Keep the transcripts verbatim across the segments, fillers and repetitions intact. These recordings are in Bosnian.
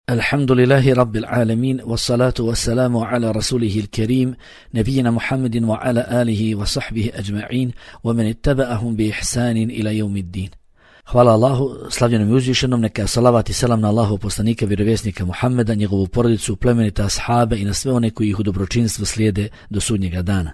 الحمد لله رب العالمين والصلاة والسلام على رسوله الكريم نبينا محمد وعلى آله وصحبه أجمعين ومن اتبعهم بإحسان إلى يوم الدين. Hvala Allahu, slavljenom i uzvišenom, neka salavat i selam na Allahu poslanika, vjerovjesnika Muhammeda, njegovu porodicu, plemenite ashabe i na sve one koji ih u dobročinstvu slijede do sudnjega dana.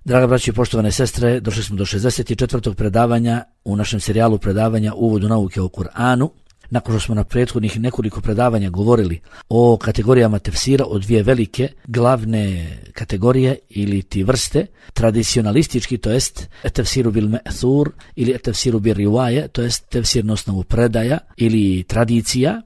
Draga braći i poštovane sestre, došli smo do šezdeset četvrtog predavanja u našem serijalu predavanja Uvodu nauke o Kur'anu. Nakon što smo na prethodnih nekoliko predavanja govorili o kategorijama tefsira, o dvije velike glavne kategorije ili ti vrste, tradicionalistički, to jest tefsiru bil me'thur ili tefsiru bil rivaje, to jest tefsir na osnovu predaja ili tradicija,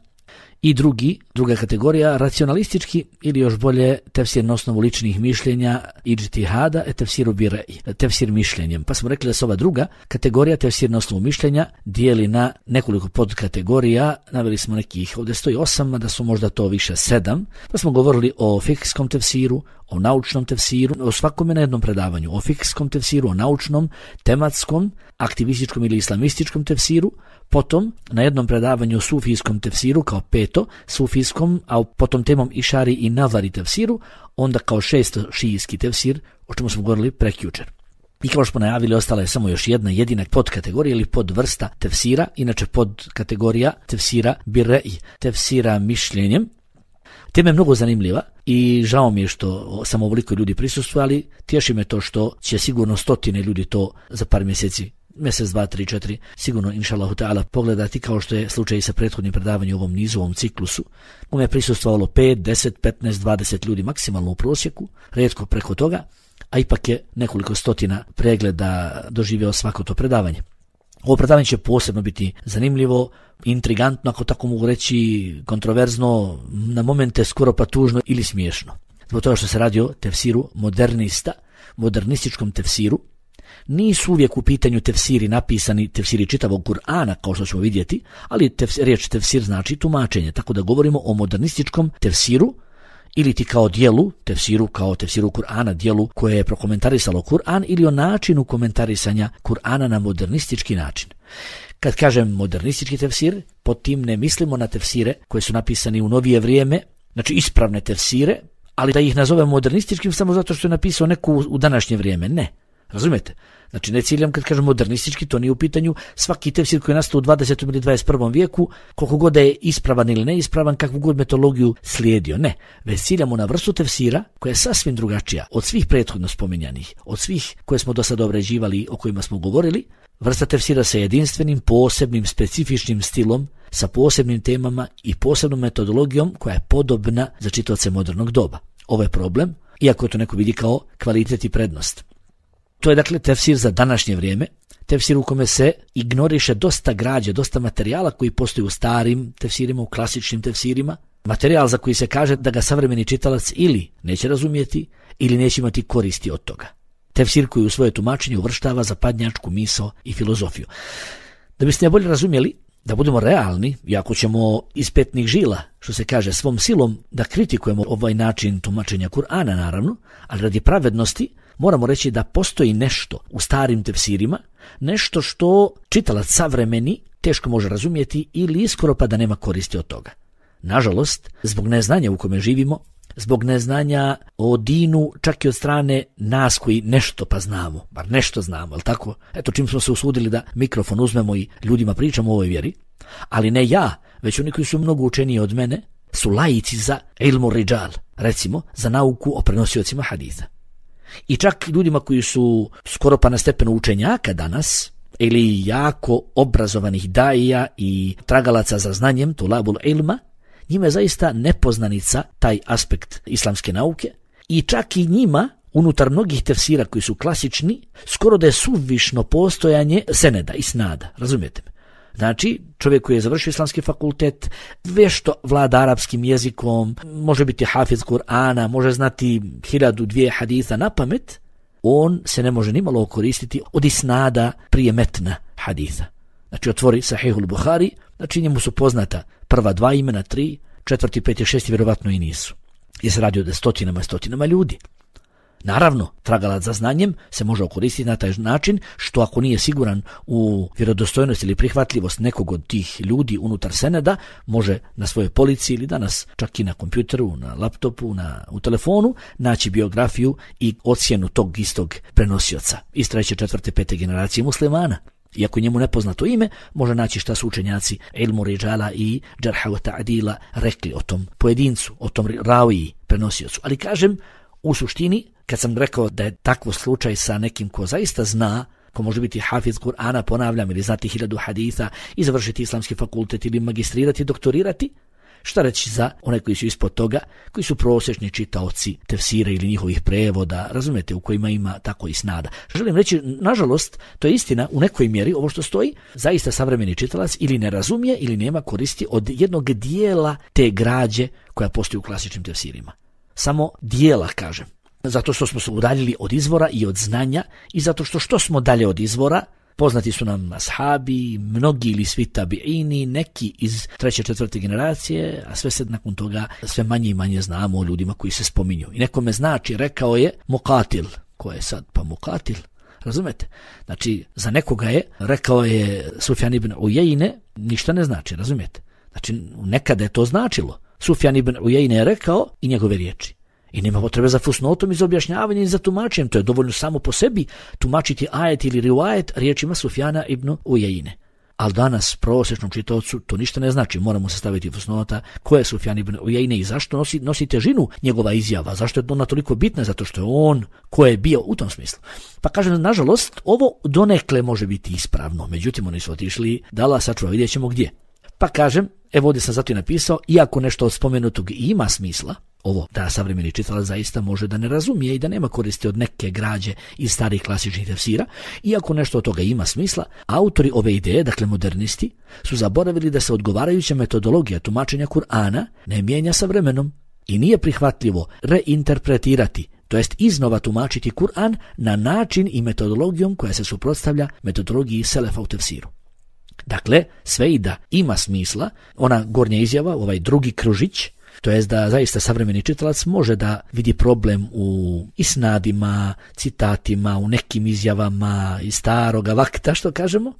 i drugi, druga kategorija, racionalistički ili još bolje tefsir na osnovu ličnih mišljenja, ijtihada, e tefsiru bi rej, tefsir mišljenjem. Pa smo rekli da se ova druga kategorija, tefsir na osnovu mišljenja, dijeli na nekoliko podkategorija. Naveli smo nekih, ovdje stoji osam, da su možda to više sedam. Pa smo govorili o fikskom tefsiru, o naučnom tefsiru, o svakome na jednom predavanju, o fikskom tefsiru, o naučnom, tematskom, aktivističkom ili islamističkom tefsiru, potom na jednom predavanju o sufijskom tefsiru kao peto, sufijskom, a potom temom išari i navari tefsiru, onda kao šesto šijski tefsir, o čemu smo govorili prekjučer. I kao što smo najavili, ostala je samo još jedna jedina podkategorija ili podvrsta tefsira, inače podkategorija tefsira birre'i, tefsira mišljenjem. Tema je mnogo zanimljiva i žao mi je što samo ovoliko ljudi prisustvovali, tješi me to što će sigurno stotine ljudi to za par mjeseci, mjesec, dva, tri, četiri, sigurno inšallahu ta'ala pogledati, kao što je slučaj sa prethodnim predavanjem u ovom nizu, u ovom ciklusu. U me je prisustvovalo pet, deset, petnaest, dvadeset ljudi maksimalno u prosjeku, rijetko preko toga, a ipak je nekoliko stotina pregleda doživio svako to predavanje. Ovo predavanje će posebno biti zanimljivo, intrigantno, ako tako mogu reći, kontroverzno, na momente skoro pa tužno ili smiješno. Zbog toga što se radi o tefsiru modernista, modernističkom tefsiru. Nisu uvijek u pitanju tefsiri napisani, tefsiri čitavog Kur'ana, kao što ćemo vidjeti, ali tefsir, riječ tefsir znači tumačenje, tako da govorimo o modernističkom tefsiru, ili ti kao dijelu, tefsiru kao tefsiru Kur'ana, dijelu koje je prokomentarisalo Kur'an, ili o načinu komentarisanja Kur'ana na modernistički način. Kad kažem modernistički tefsir, pod tim ne mislimo na tefsire koje su napisani u novije vrijeme, znači ispravne tefsire, ali da ih nazovemo modernističkim samo zato što je napisao neku u današnje vrijeme, ne. Razumijete? Znači ne ciljam kad kažem modernistički, to nije u pitanju svaki tefsir koji je nastao u dvadesetom ili dvadeset prvom vijeku, koliko god da je ispravan ili neispravan, kakvu god metodologiju slijedio, ne. Već ciljamo na vrstu tefsira koja je sasvim drugačija od svih prethodno spominjanih, od svih koje smo do sada obrađivali, o kojima smo govorili. Vrsta tefsira sa jedinstvenim, posebnim, specifičnim stilom, sa posebnim temama i posebnom metodologijom koja je podobna za čitaoce modernog doba. Ovo je problem, iako to neko vidi kao kvalitet i prednost. To je dakle tefsir za današnje vrijeme, tefsir u kome se ignoriše dosta građe, dosta materijala koji postoji u starim tefsirima, u klasičnim tefsirima, materijal za koji se kaže da ga savremeni čitalac ili neće razumijeti ili neće imati koristi od toga. Tefsir koji u svoje tumačenje uvrštava zapadnjačku misao i filozofiju. Da biste ne bolje razumjeli, da budemo realni, iako ćemo iz petnih žila, što se kaže, svom silom da kritikujemo ovaj način tumačenja Kur'ana naravno, ali radi pravednosti moramo reći da postoji nešto u starim tefsirima, nešto što čitalac savremeni teško može razumjeti ili iskoro pa da nema koristi od toga. Nažalost, zbog neznanja u kome živimo, zbog neznanja o dinu, čak i od strane nas koji nešto pa znamo, bar nešto znamo, ali tako? Eto, čim smo se usudili da mikrofon uzmemo i ljudima pričamo o ovoj vjeri, ali ne ja, već oni koji su mnogo učeniji od mene, su laici za ilmu ridžal, recimo za nauku o prenosiocima haditha. I čak ljudima koji su skoro pa na stepenu učenjaka danas, ili jako obrazovanih daija i tragalaca za znanjem, tulabul ilma, njima je zaista nepoznanica taj aspekt islamske nauke i čak i njima, unutar mnogih tefsira koji su klasični, skoro da je suvišno postojanje seneda i snada, razumijete me? Znači, čovjek koji je završio islamski fakultet, vješto vlada arapskim jezikom, može biti hafiz Kur'ana, može znati hiljadu dvije haditha na pamet, on se ne može nimalo koristiti od isnada prije metna haditha. Znači, otvori Sahihul Buhari, znači njemu su poznata prva dva imena, tri, četvrti, peti, šesti, vjerovatno i nisu. Jer se radi o stotinama i stotinama ljudi. Naravno, tragalac za znanjem se može koristiti na taj način što ako nije siguran u vjerodostojnost ili prihvatljivost nekog od tih ljudi unutar seneda, može na svojoj polici ili danas čak i na kompjuteru, na laptopu, na, u telefonu naći biografiju i ocjenu tog istog prenosioca iz treće, četvrte, pete generacije muslimana. Iako njemu nepoznato ime, može naći šta su učenjaci ilmu ridžala i džarha wa ta'dila rekli o tom pojedincu, o tom raviji prenosiocu. Ali kažem, u suštini, kad sam rekao da je takvo slučaj sa nekim ko zaista zna, ko može biti hafiz Kur'ana, ponavljam, ili znati hiljadu haditha i završiti islamski fakultet ili magistrirati, doktorirati, šta reći za one koji su ispod toga, koji su prosječni čitaoci tefsira ili njihovih prevoda, razumete, u kojima ima tako i snada. Želim reći, nažalost, to je istina, u nekoj mjeri ovo što stoji, zaista savremeni čitalac ili ne razumije ili nema koristi od jednog dijela te građe koja postoji u klasičnim tefsirima. Samo dijela, kažem. Zato što smo se udaljili od izvora i od znanja i zato što što smo dalje od izvora, poznati su nam ashabi, mnogi ili svi tabiini, neki iz treće, četvrte generacije, a sve se nakon toga sve manje i manje znamo o ljudima koji se spominju. I nekome znači, rekao je Muqatil. Ko je sad pa Muqatil? Razumete? Znači, za nekoga je, rekao je Sufjan ibn Ujejne, ništa ne znači, razumete? Znači, nekada je to značilo. Sufjan ibn Ujejne je rekao i njegove riječi. I nema potrebe za fusnotom i za objašnjavanjem i za tumačenjem. To je dovoljno samo po sebi tumačiti ajet ili rivajet riječima Sufjana ibn Ujejne. Ali danas prosječnom čitaocu to ništa ne znači. Moramo se staviti fusnota ko je Sufjan ibn Ujejne i zašto nosi, nosi težinu njegova izjava. Zašto je ona toliko bitna? Zato što je on ko je bio u tom smislu. Pa kažem, nažalost, ovo donekle može biti ispravno. Međutim, oni su otišli da Allah sačuva, vidjet ćemo gdje. Pa kažem, evo ovdje sam zato i napisao, iako nešto od spomenutog ima smisla, ovo da savremeni čitalac zaista može da ne razumije i da nema koristi od neke građe iz starih klasičnih tefsira, iako nešto od toga ima smisla, autori ove ideje, dakle modernisti, su zaboravili da se odgovarajuća metodologija tumačenja Kur'ana ne mijenja sa vremenom i nije prihvatljivo reinterpretirati, to jest iznova tumačiti Kur'an na način i metodologijom koja se suprotstavlja metodologiji selefa u tefsiru. Dakle, sve i da ima smisla, ona gornja izjava, ovaj drugi kružić, to jest da zaista savremeni čitalac može da vidi problem u isnadima, citatima, u nekim izjavama iz staroga vakta, što kažemo.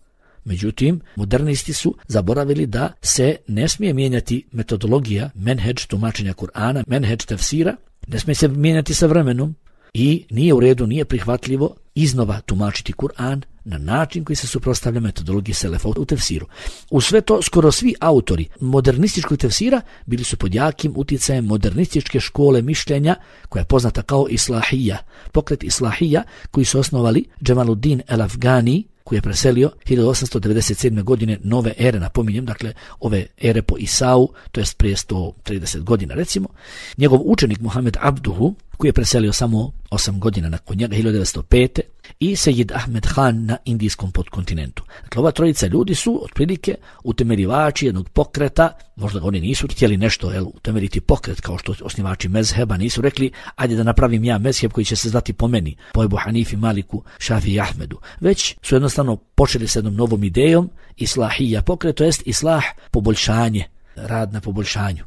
Međutim, modernisti su zaboravili da se ne smije mijenjati metodologija menhedž tumačenja Kur'ana, menhedž tefsira, ne smije se mijenjati sa vremenom i nije u redu, nije prihvatljivo iznova tumačiti Kur'an na način koji se suprotstavlja metodologiji selefa u tefsiru. U sve to skoro svi autori modernističkog tefsira bili su pod jakim utjecajem modernističke škole mišljenja koja je poznata kao Islahija, pokret Islahija koji su osnovali Džemaluddin el-Afgani, koji je preselio hiljadu osamsto devedeset sedme. godine nove ere, napominjem, dakle ove ere po Isau, to jest prije sto trideset godina recimo. Njegov učenik Muhammed Abduhu, koji je preselio samo osam godina nakon njega, hiljadu devetsto pete. i Sejid Ahmed Khan na indijskom podkontinentu. Dakle, ova trojica ljudi su otprilike utemeljivači jednog pokreta, možda oni nisu htjeli nešto jel, utemeljiti pokret kao što osnivači mezheba, nisu rekli ajde da napravim ja mezheb koji će se zvati po meni, po Ebu Hanifi, Maliku, Šafi i Ahmedu. Već su jednostavno počeli s jednom novom idejom, islahija pokret, to jest islah, poboljšanje, rad na poboljšanju.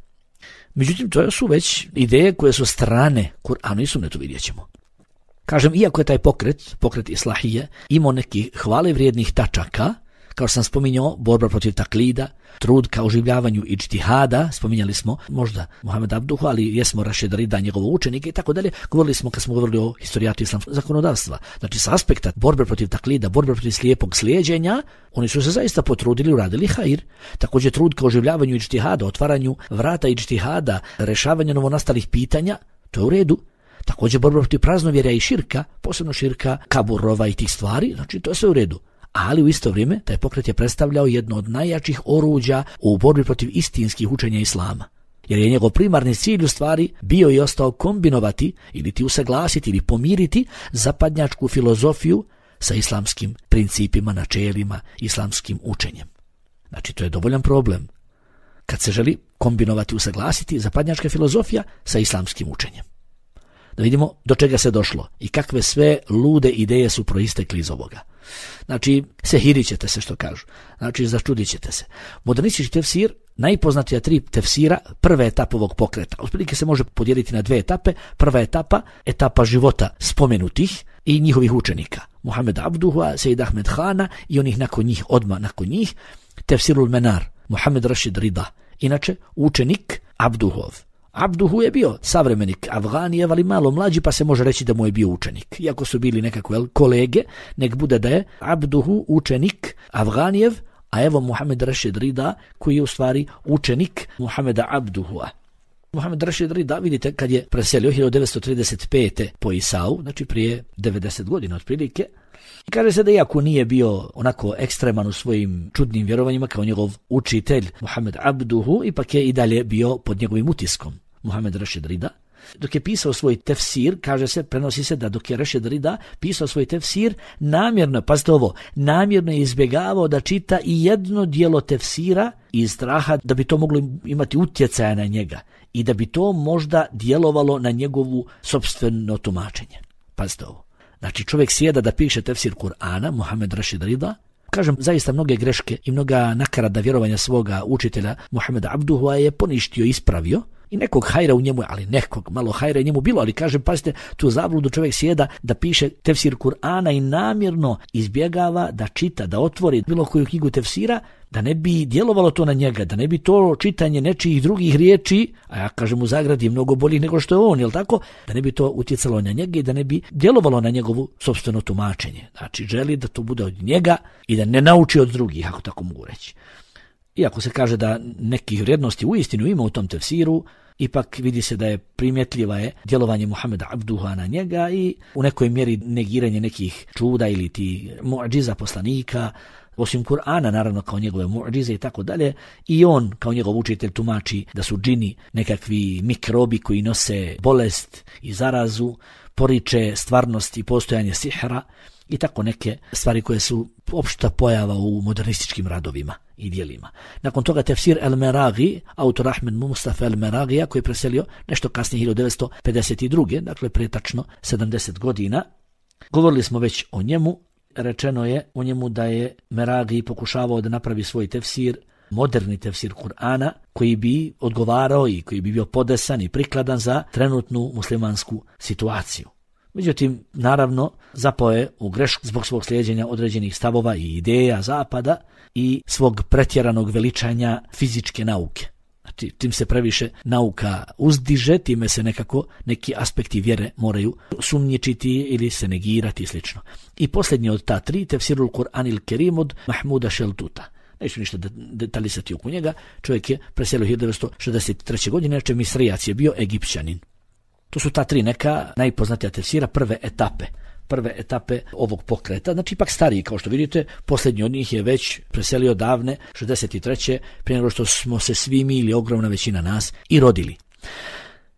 Međutim, to su već ideje koje su strane Kur'anu i sunnetu, vidjet ćemo. Kažem, iako je taj pokret, pokret islahije, imao nekih hvale vrijednih tačaka, kao što sam spominjao, borba protiv taklida, trud ka oživljavanju iđtihada, spominjali smo možda Muhammed Abduhu, ali jesmo Rašid Rida, njegovo učenike i tako dalje, govorili smo kad smo govorili o historijatu islamskog zakonodavstva. Znači, sa aspekta borbe protiv taklida, borbe protiv slijepog slijeđenja, oni su se zaista potrudili, uradili hajr. Također trud ka oživljavanju iđtihada, otvaranju vrata iđtihada, rešavanju novonastalih pitanja, to je u redu. Također borba protiv praznovjerja i širka, posebno širka, kaburova i tih stvari, znači to je sve u redu. Ali u isto vrijeme taj pokret je predstavljao jedno od najjačih oruđa u borbi protiv istinskih učenja islama. Jer je njegov primarni cilj u stvari bio i ostao kombinovati ili ti usaglasiti ili pomiriti zapadnjačku filozofiju sa islamskim principima, načelima, islamskim učenjem. Znači to je dovoljan problem kad se želi kombinovati, usaglasiti zapadnjačka filozofija sa islamskim učenjem. Da vidimo do čega se došlo i kakve sve lude ideje su proistekli iz ovoga. Znači, sehirit ćete se, što kažu. Znači, začudit ćete se. Modernistički tefsir, najpoznatija tri tefsira, prve etape ovog pokreta. Otprilike se može podijeliti na dve etape. Prva etapa, etapa života spomenutih i njihovih učenika. Muhammed Abduha, Sejid Ahmed Hana i onih nakon njih, odmah nakon njih, Tefsirul Menar, Muhammed Rashid Rida. Inače, učenik Abduhov. Abduhu je bio savremenik Afganijev, ali malo mlađi, pa se može reći da mu je bio učenik. Iako su bili nekako jel, kolege, nek bude da je Abduhu učenik Afganijev, a evo Muhammed Rashid Rida, koji je u stvari učenik Muhammeda Abduhua. Muhammed Rashid Rida, vidite, kad je preselio hiljadu devetsto trideset pete po Isau, znači prije devedeset godina otprilike, i kaže se da iako nije bio onako ekstreman u svojim čudnim vjerovanjima kao njegov učitelj Muhammed Abduhu, ipak je i dalje bio pod njegovim utiskom Muhammed Rashid Rida. Dok je pisao svoj tefsir, kaže se, prenosi se da dok je Rashid Rida pisao svoj tefsir, namjerno, pazite ovo, namjerno je izbjegavao da čita i jedno dijelo tefsira iz straha da bi to moglo imati utjecaja na njega i da bi to možda djelovalo na njegovu sopstveno tumačenje. Pazite ovo. Znači, čovjek sjeda da piše tefsir Kur'ana, Muhammed Rashid Rida, kažem, zaista mnoge greške i mnoga nakarada vjerovanja svoga učitelja Muhammeda Abduhua je poništio, ispravio, i nekog hajra u njemu, ali nekog malo hajra u njemu bilo, ali kažem, pazite, tu zabludu čovjek sjeda da piše tefsir Kur'ana i namjerno izbjegava da čita, da otvori bilo koju knjigu tefsira, da ne bi djelovalo to na njega, da ne bi to čitanje nečijih drugih riječi, a ja kažem u zagradi mnogo boljih nego što je on, jel tako, da ne bi to utjecalo na njega i da ne bi djelovalo na njegovu sopstveno tumačenje. Znači, želi da to bude od njega i da ne nauči od drugih, ako tako mogu reći. Iako se kaže da nekih vrijednosti uistinu ima u tom tefsiru, ipak vidi se da je primjetljiva je djelovanje Muhammeda Abduha na njega i u nekoj mjeri negiranje nekih čuda ili ti muadžiza poslanika, osim Kur'ana, naravno kao njegove muadžize i tako dalje, i on kao njegov učitelj tumači da su džini nekakvi mikrobi koji nose bolest i zarazu, poriče stvarnost i postojanje sihra i tako neke stvari koje su opšta pojava u modernističkim radovima i dijelima. Nakon toga tefsir El-Meragi, autor Ahmed Mustafa El-Meragija, koji je preselio nešto kasnije hiljadu devetsto pedeset druge, dakle prije tačno sedamdeset godina. Govorili smo već o njemu, rečeno je o njemu da je Meragi pokušavao da napravi svoj tefsir, moderni tefsir Kur'ana, koji bi odgovarao i koji bi bio podesan i prikladan za trenutnu muslimansku situaciju. Međutim, naravno, zapao je u grešku zbog svog slijeđenja određenih stavova i ideja zapada i svog pretjeranog veličanja fizičke nauke. Znači, tim se previše nauka uzdiže, time se nekako neki aspekti vjere moraju sumnjičiti ili se negirati i slično. I posljednji od ta tri, tefsirul Kur'anil Kerim od Mahmuda Šeltuta. Neću ništa detaljisati oko njega, čovjek je preselio hiljadu devetsto šezdeset treće godine, znači Misrijac je bio Egipćanin. To su ta tri neka najpoznatija tefsira prve etape, prve etape ovog pokreta, znači ipak stariji, kao što vidite, posljednji od njih je već preselio davne šezdeset treće prije nego što smo se svi mi ili ogromna većina nas i rodili.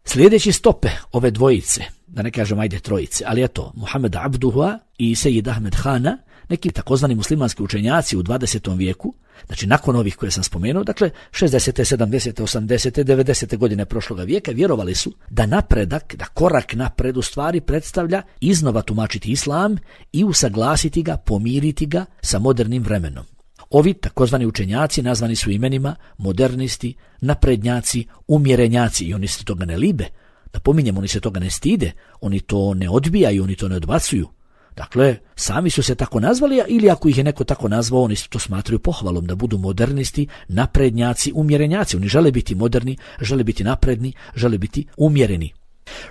Sljedeći stope ove dvojice, da ne kažem ajde trojice, ali eto, Muhammed Abduha i Sejid Ahmed Hana, neki takozvani muslimanski učenjaci u dvadesetom vijeku, znači nakon ovih koje sam spomenuo, dakle šezdesete, sedamdesete, osamdesete, devedesete godine prošloga vijeka, vjerovali su da napredak, da korak napred u stvari predstavlja iznova tumačiti islam i usaglasiti ga, pomiriti ga sa modernim vremenom. Ovi takozvani učenjaci nazvani su imenima modernisti, naprednjaci, umjerenjaci i oni se toga ne libe. Da pominjem, oni se toga ne stide, oni to ne odbijaju, oni to ne odbacuju. Dakle, sami su se tako nazvali, ili ako ih je neko tako nazvao, oni to smatraju pohvalom da budu modernisti, naprednjaci, umjerenjaci. Oni žele biti moderni, žele biti napredni, žele biti umjereni.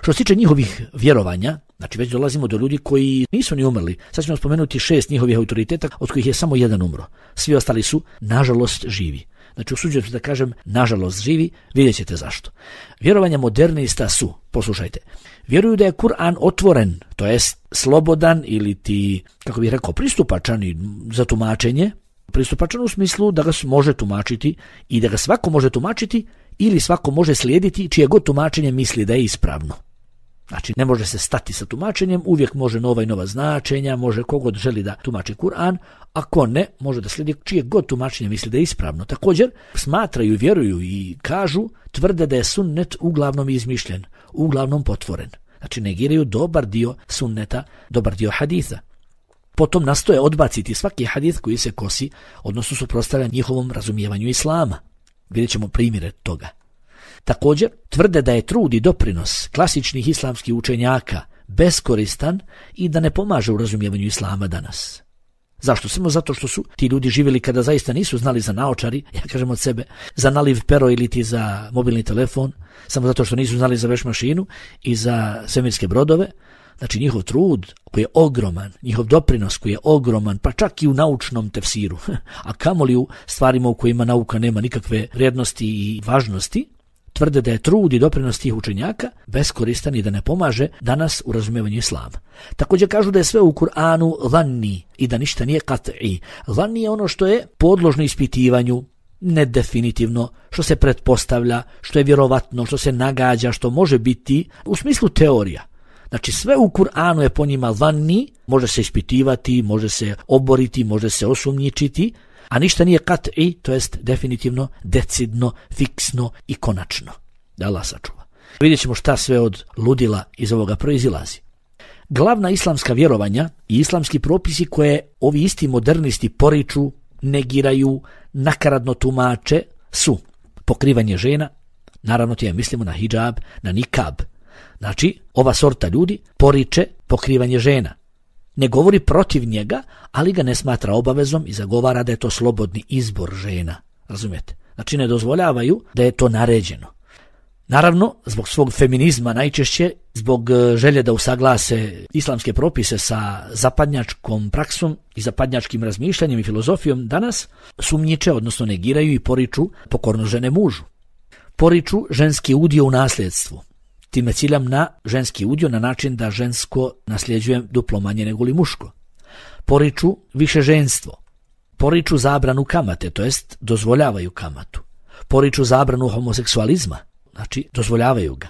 Što se tiče njihovih vjerovanja, znači već dolazimo do ljudi koji nisu ni umrli. Sad ćemo spomenuti šest njihovih autoriteta, od kojih je samo jedan umro. Svi ostali su, nažalost, živi. Znači, usuđujem se da kažem, nažalost živi, vidjet ćete zašto. Vjerovanja modernista su, poslušajte, vjeruju da je Kur'an otvoren, to jest slobodan ili ti, kako bih rekao, pristupačan za tumačenje, pristupačan u smislu da ga može tumačiti i da ga svako može tumačiti ili svako može slijediti čije god tumačenje misli da je ispravno. Znači, ne može se stati sa tumačenjem, uvijek može nova i nova značenja, može kogod želi da tumači Kur'an, ako ne, može da slijedi čije god tumačenje misli da je ispravno. Također, smatraju, vjeruju i kažu, tvrde da je sunnet uglavnom izmišljen, uglavnom potvoren. Znači, negiraju dobar dio sunneta, dobar dio haditha. Potom nastoje odbaciti svaki hadith koji se kosi, odnosno suprotstavlja njihovom razumijevanju islama. Vidjet ćemo primjere toga. Također, tvrde da je trud i doprinos klasičnih islamskih učenjaka beskoristan i da ne pomaže u razumijevanju islama danas. Zašto? Samo zato što su ti ljudi živjeli kada zaista nisu znali za naočari, ja kažem od sebe, za naliv pero ili ti za mobilni telefon, samo zato što nisu znali za veš mašinu i za svemirske brodove. Znači njihov trud koji je ogroman, njihov doprinos koji je ogroman, pa čak i u naučnom tefsiru, a kamoli u stvarima u kojima nauka nema nikakve vrijednosti i važnosti, tvrde da je trud i doprinos tih učenjaka beskoristan i da ne pomaže danas u razumijevanju islama. Također kažu da je sve u Kur'anu zanni i da ništa nije kat'i. Zanni je ono što je podložno ispitivanju, nedefinitivno, što se pretpostavlja, što je vjerovatno, što se nagađa, što može biti u smislu teorija. Znači sve u Kur'anu je po njima zanni, može se ispitivati, može se oboriti, može se osumnjičiti, a ništa nije kat'i, to jest definitivno, decidno, fiksno i konačno. Da Allah sačuva. Vidjet ćemo šta sve od ludila iz ovoga proizilazi. Glavna islamska vjerovanja i islamski propisi koje ovi isti modernisti poriču, negiraju, nakaradno tumače su pokrivanje žena, naravno tije mislimo na hidžab, na nikab. Znači, ova sorta ljudi poriče pokrivanje žena. Ne govori protiv njega, ali ga ne smatra obavezom i zagovara da je to slobodni izbor žena. Razumijete? Znači ne dozvoljavaju da je to naređeno. Naravno, zbog svog feminizma najčešće, zbog želje da usaglase islamske propise sa zapadnjačkom praksom i zapadnjačkim razmišljanjem i filozofijom danas, sumnjiče, odnosno negiraju i poriču pokorno žene mužu. Poriču ženski udio u nasljedstvu. Time ciljam na ženski udio na način da žensko nasljeđuje duplo manje nego li muško. Poriču više ženstvo. Poriču zabranu kamate, to jest dozvoljavaju kamatu. Poriču zabranu homoseksualizma, znači dozvoljavaju ga.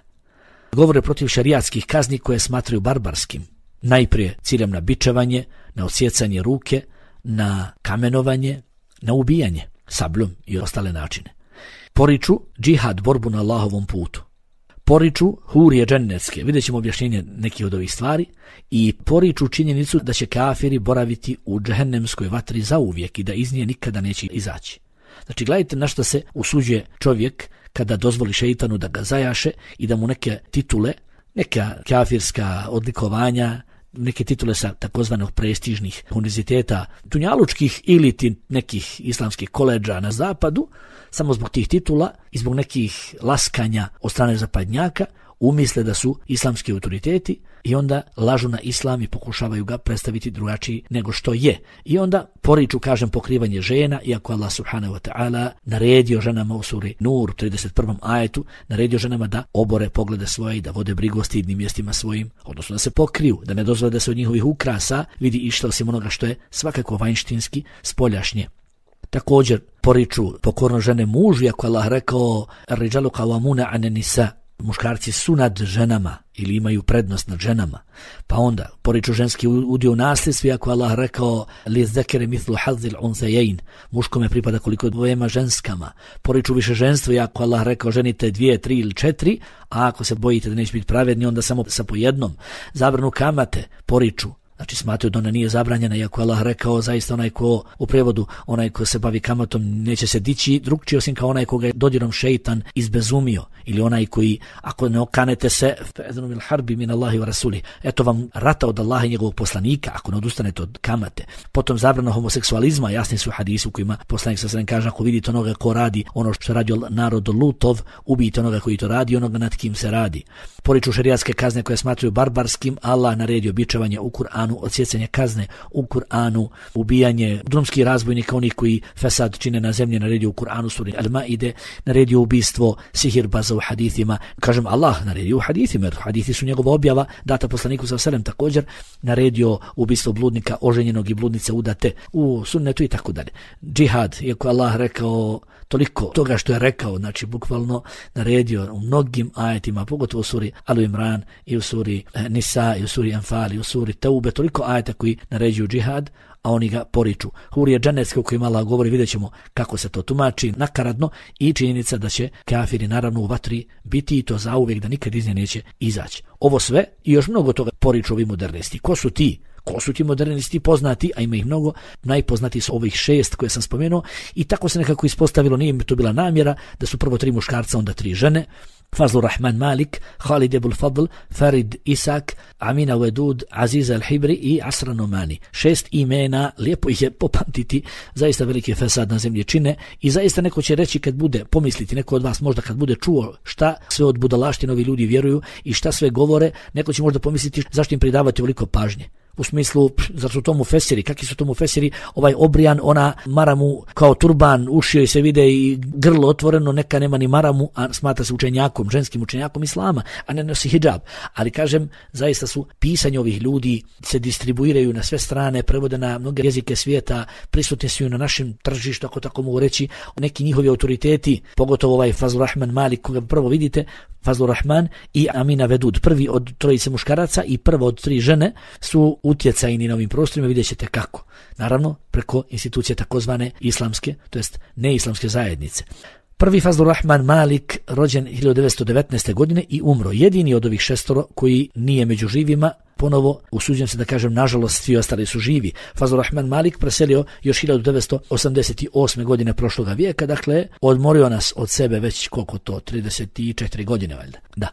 Govore protiv šerijatskih kazni koje smatraju barbarskim. Najprije ciljam na bičevanje, na odsjecanje ruke, na kamenovanje, na ubijanje sabljom i ostale načine. Poriču džihad, borbu na Allahovom putu. Poriču hurije džennetske, vidjet ćemo objašnjenje nekih od ovih stvari, i poriču činjenicu da će kafiri boraviti u džehennemskoj vatri zauvijek i da iz nje nikada neće izaći. Znači gledajte na što se usuđuje čovjek kada dozvoli šeitanu da ga zajaše i da mu neke titule, neka kafirska odlikovanja, neke titule sa takozvanih prestižnih univerziteta dunjalučkih ili ti nekih islamskih koledža na zapadu, samo zbog tih titula i zbog nekih laskanja od strane zapadnjaka umisle da su islamski autoriteti i onda lažu na islam i pokušavaju ga predstaviti drugačiji nego što je. I onda poriču, kažem, pokrivanje žena, iako Allah subhanahu wa ta'ala naredio ženama u suri Nur, u trideset prvom ajetu, naredio ženama da obore poglede svoje i da vode brigu o stidnim mjestima svojim, odnosno da se pokriju, da ne dozvole da se od njihovih ukrasa vidi išta osim onoga što je svakako vanjštinski, spoljašnje. Također poriču pokorno žene mužu, iako Allah rekao ar-rijalu qawwamuna 'ala an-nisa, muškarci su nad ženama ili imaju prednost nad ženama. Pa onda poriču ženski udio u nasljedstvu, iako Allah rekao liz-zakari mithlu hazzil unsayayn, muškome pripada koliko dvojema ženskama. Poriču više ženstvo, iako Allah rekao ženite dvije, tri ili četiri, a ako se bojite da neće biti pravedni, onda samo sa po jednom. Zabranu kamate poriču. Znači smatraju da ona nije zabranjena, iako Allah rekao zaista onaj ko, u prevodu, onaj ko se bavi kamatom neće se dići drugčije osim kao onaj koga je dodirom šeitan izbezumio, ili onaj koji ako ne okanete se fa'adhanu bil harbi min Allahi wa rasuli, eto vam rata od Allaha i njegovog poslanika ako ne odustanete od kamate. Potom zabrana homoseksualizma, jasni su hadisi u kojima poslanik sa sredem kaže ako vidite onoga ko radi ono što radi narod Lutov, ubijte onoga koji to radi, onoga nad kim se radi. Poriču šerijatske kazne koje smatraju barbarskim, Allah naredio bičevanje u Kur'anu, odsjecanje kazne u Kur'anu, ubijanje drumskih razbojnika, onih koji fesad čine na zemlji, naredio u Kur'anu suri Al-Maide, naredio ubistvo sihirbaza u hadithima. Kažem Allah naredio u hadithima, jer hadithi su njegova objava, data poslaniku sa selem, također naredio ubistvo bludnika oženjenog i bludnice udate u sunnetu i tako dalje. Džihad, iako Allah rekao toliko toga što je rekao, znači bukvalno naredio u mnogim ajetima, pogotovo u suri Al-Imran i u suri Nisa i u suri Anfal i u suri Taube, toliko ajeta koji naređuju džihad, a oni ga poriču. Hurije dženecke o kojima Allah govori, vidjet ćemo kako se to tumači nakaradno i činjenica da će kafiri naravno u vatri biti i to zauvijek, da nikad iz nje neće izaći. Ovo sve i još mnogo toga poriču ovi modernisti. Ko su ti? Ko su ti modernisti poznati, a ima ih mnogo, najpoznatiji su ovih šest koje sam spomenuo i tako se nekako ispostavilo, nije mi to bila namjera, da su prvo tri muškarca, onda tri žene. Fazlur Rahman Malik, Khalid Abul Fadl, Farid Isak, Amina Wedud, Aziz Al-Hibri i Asra Nomani. Šest imena, lijepo ih je popamtiti, zaista veliki fesad na zemlji čine i zaista neko će reći kad bude, pomisliti neko od vas možda kad bude čuo šta sve od budalaštine ovi ljudi vjeruju i šta sve govore, neko će možda pomisliti zašto im pridavati ovoliko pažnje. U smislu, zar su to mufesiri, kakvi su to mufesiri, ovaj obrijan, ona maramu kao turban, uši joj se vide i grlo otvoreno, neka nema ni maramu, a smatra se učenjakom, ženskim učenjakom islama, a ne nosi hidžab. Ali kažem, zaista su pisanje ovih ljudi, se distribuiraju na sve strane, prevode na mnoge jezike svijeta, prisutni su na našem tržištu, ako tako mogu reći, neki njihovi autoriteti, pogotovo ovaj Fazlur Rahman Malik, koga prvo vidite, Fazlur Rahman i Amina Vedud, prvi od trojice muškaraca i prva od tri žene su utjecajni na ovim prostorima, vidjet ćete kako. Naravno, preko institucije takozvane islamske, to jest neislamske zajednice. Prvi Fazlur Rahman Malik, rođen hiljadu devetsto devetnaeste. godine i umro, jedini od ovih šestoro koji nije među živima. Ponovo, usuđujem se da kažem, nažalost, svi ostali su živi. Fazlur Rahman Malik preselio još hiljadu devetsto osamdeset osme. godine prošloga vijeka, dakle, odmorio nas od sebe već koliko to, trideset četiri godine, valjda. Da.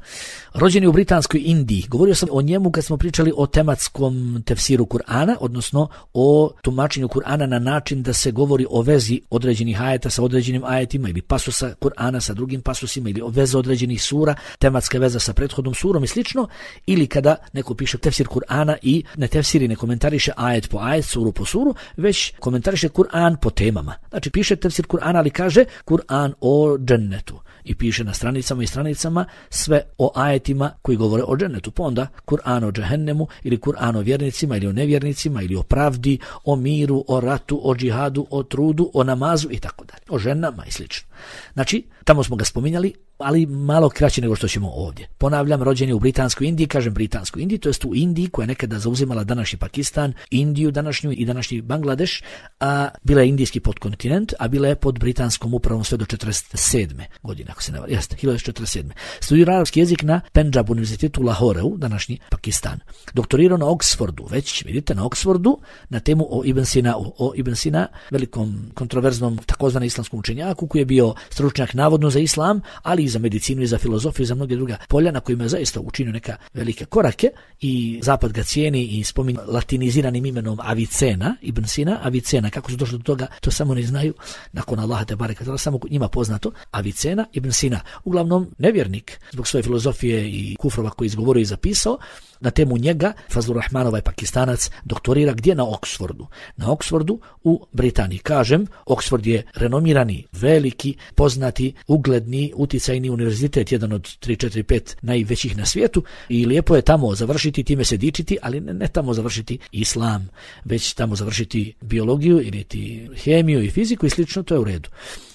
Rođen je u Britanskoj Indiji. Govorio sam o njemu kad smo pričali o tematskom tefsiru Kur'ana, odnosno o tumačenju Kur'ana na način da se govori o vezi određenih ajeta sa određenim ajetima ili pasusa Kur'ana sa drugim pasusima ili o vezi određenih sura, tematska veza sa prethodnom surom i slično, ili kada neko piše tefsir Kur'ana i ne tefsiri, ne komentariše ajet po ajet, suru po suru, već komentariše Kur'an po temama. Znači piše tefsir Kur'ana, ali kaže Kur'an o džennetu i piše na stranicama i stranicama sve o ajetima koji govore o džennetu. Pa onda Kur'an o džehennemu ili Kur'an o vjernicima ili o nevjernicima ili o pravdi, o miru, o ratu, o džihadu, o trudu, o namazu i tako dalje. O ženama i slično. Znači, tamo smo ga spominjali, ali malo kraće nego što ćemo ovdje. Ponavljam, rođen je u Britanskoj Indiji, kažem Britanskoj Indiji, to jest u Indiji koja je nekada zauzimala današnji Pakistan, Indiju današnju i današnji Bangladeš, a bila je indijski podkontinent, a bila je pod britanskom upravom sve do četrdeset sedme. godine, ako se ne varam, jeste, hiljadu devetsto četrdeset sedme. Studirao arapski jezik na Pendžab univerzitetu u Lahoreu, današnji Pakistan. Doktorirao na Oxfordu, već vidite na Oxfordu, na temu o Ibn Sina, o Ibn Sina, velikom kontroverznom takozvanom islamskom učenjaku koji je bio stručnjak navodno za islam, ali i za medicinu i za filozofiju i za mnoge druga polja na kojima je zaista učinio neka velike korake i zapad ga cijeni i spominje latiniziranim imenom Avicena, Ibn Sina, Avicena, kako su došli do toga, to samo ne znaju, nakon Allaha te bareka, samo njima poznato, Avicena, Ibn Sina, uglavnom nevjernik, zbog svoje filozofije i kufrova koji izgovorio i zapisao. Na temu njega Fazlur Rahman, ovaj Pakistanac, doktorira gdje? Na Oxfordu. Na Oxfordu u Britaniji. Kažem, Oxford je renomirani, veliki, poznati, ugledni, uticajni univerzitet, jedan od tri, četiri, pet najvećih na svijetu i lijepo je tamo završiti, time se dičiti, ali ne, ne tamo završiti islam, već tamo završiti biologiju ili ti hemiju i fiziku i slično, to je u redu.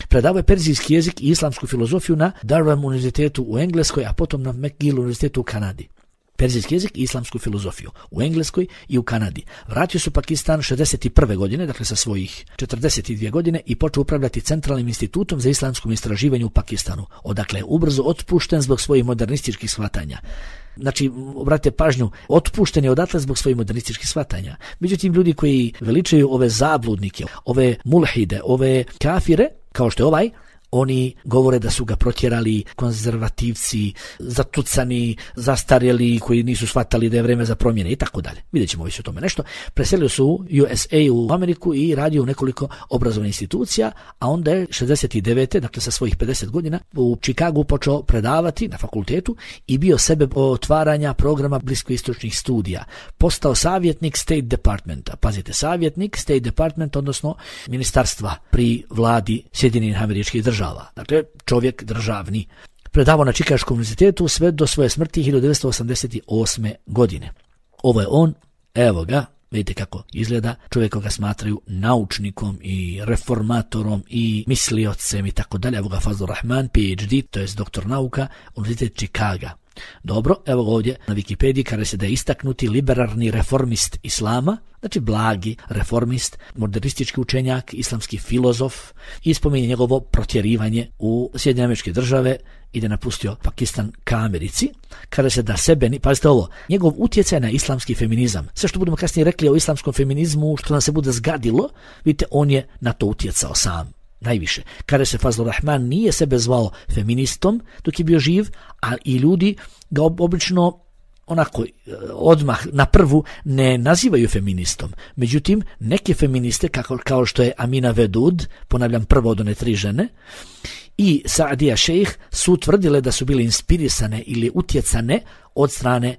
Predavao je perzijski jezik i islamsku filozofiju na Durham univerzitetu u Engleskoj, a potom na McGill univerzitetu u Kanadi. Perzijski jezik i islamsku filozofiju u Engleskoj i u Kanadi. Vratio se u Pakistan šezdeset prve. godine, dakle sa svojih četrdeset dvije godine i počeo upravljati Centralnim institutom za islamskom istraživanju u Pakistanu, odakle je ubrzo otpušten zbog svojih modernističkih shvatanja. Znači, obratite pažnju, otpušten je odatle zbog svojih modernističkih shvatanja. Međutim, ljudi koji veličaju ove zabludnike, ove mulhide, ove kafire, kao što je ovaj, oni govore da su ga protjerali konzervativci, zatucani, zastarjeli, koji nisu shvatali da je vrijeme za promjene i tako dalje. Vidjet ćemo više o tome nešto. Preselio su u U S A u Ameriku i radio u nekoliko obrazovnih institucija, a onda je šezdeset devete. dakle sa svojih pedeset godina, u Chicagu počeo predavati na fakultetu i bio sebe otvaranja programa bliskoistočnih studija. Postao savjetnik State Departmenta. Pazite, savjetnik State Department, odnosno ministarstva pri vladi Sjedinjenih Američkih Država. Dakle, čovjek državni. Predavao na Čikaškom univerzitetu sve do svoje smrti hiljadu devetsto osamdeset osme. godine. Ovo je on, evo ga, vidite kako izgleda, čovjek koga smatraju naučnikom i reformatorom i misliocem i tako dalje. Evo ga Fazlur Rahman, P H D, to je doktor nauka, Univerzitet Čikaga. Dobro, evo ovdje na Wikipediji kaže se da je istaknuti liberalni reformist islama, znači blagi reformist, modernistički učenjak, islamski filozof i spominje njegovo protjerivanje u Sjedinjene Američke Države i da je napustio Pakistan ka Americi. Kaže se da sebe, pazite ovo, njegov utjecaj na islamski feminizam, sve što budemo kasnije rekli o islamskom feminizmu, što nam se bude zgadilo, vidite, on je na to utjecao sam. Najviše. Kaže se Fazlur Rahman nije sebe zvao feministom dok je bio živ, a i ljudi ga obično onako odmah na prvu ne nazivaju feministom. Međutim, neke feministe kako, kao što je Amina Vedud, ponavljam prvo od one tri žene, i Saadija Šejh su tvrdile da su bile inspirisane ili utjecane od strane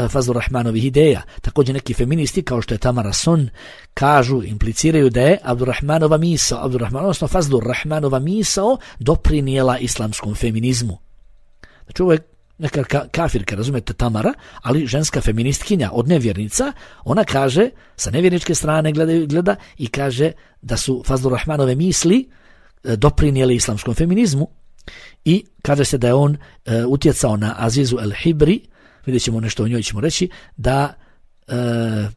Fazlur Rahmanovih ideja. Također neki feministi kao što je Tamara Son kažu, impliciraju da je Abdurrahmanova misao, Abdurrahman, odnosno Fazlur Rahmanova misao doprinijela islamskom feminizmu. Znači ovo je neka ka, kafirka, razumete, Tamara, ali ženska feministkinja od nevjernica, ona kaže, sa nevjerničke strane gleda, gleda i kaže da su Fazlur Rahmanove misli doprinijeli islamskom feminizmu i kaže se da je on e, utjecao na Azizu El Hibri, vidjet ćemo nešto o njoj ćemo reći, da e,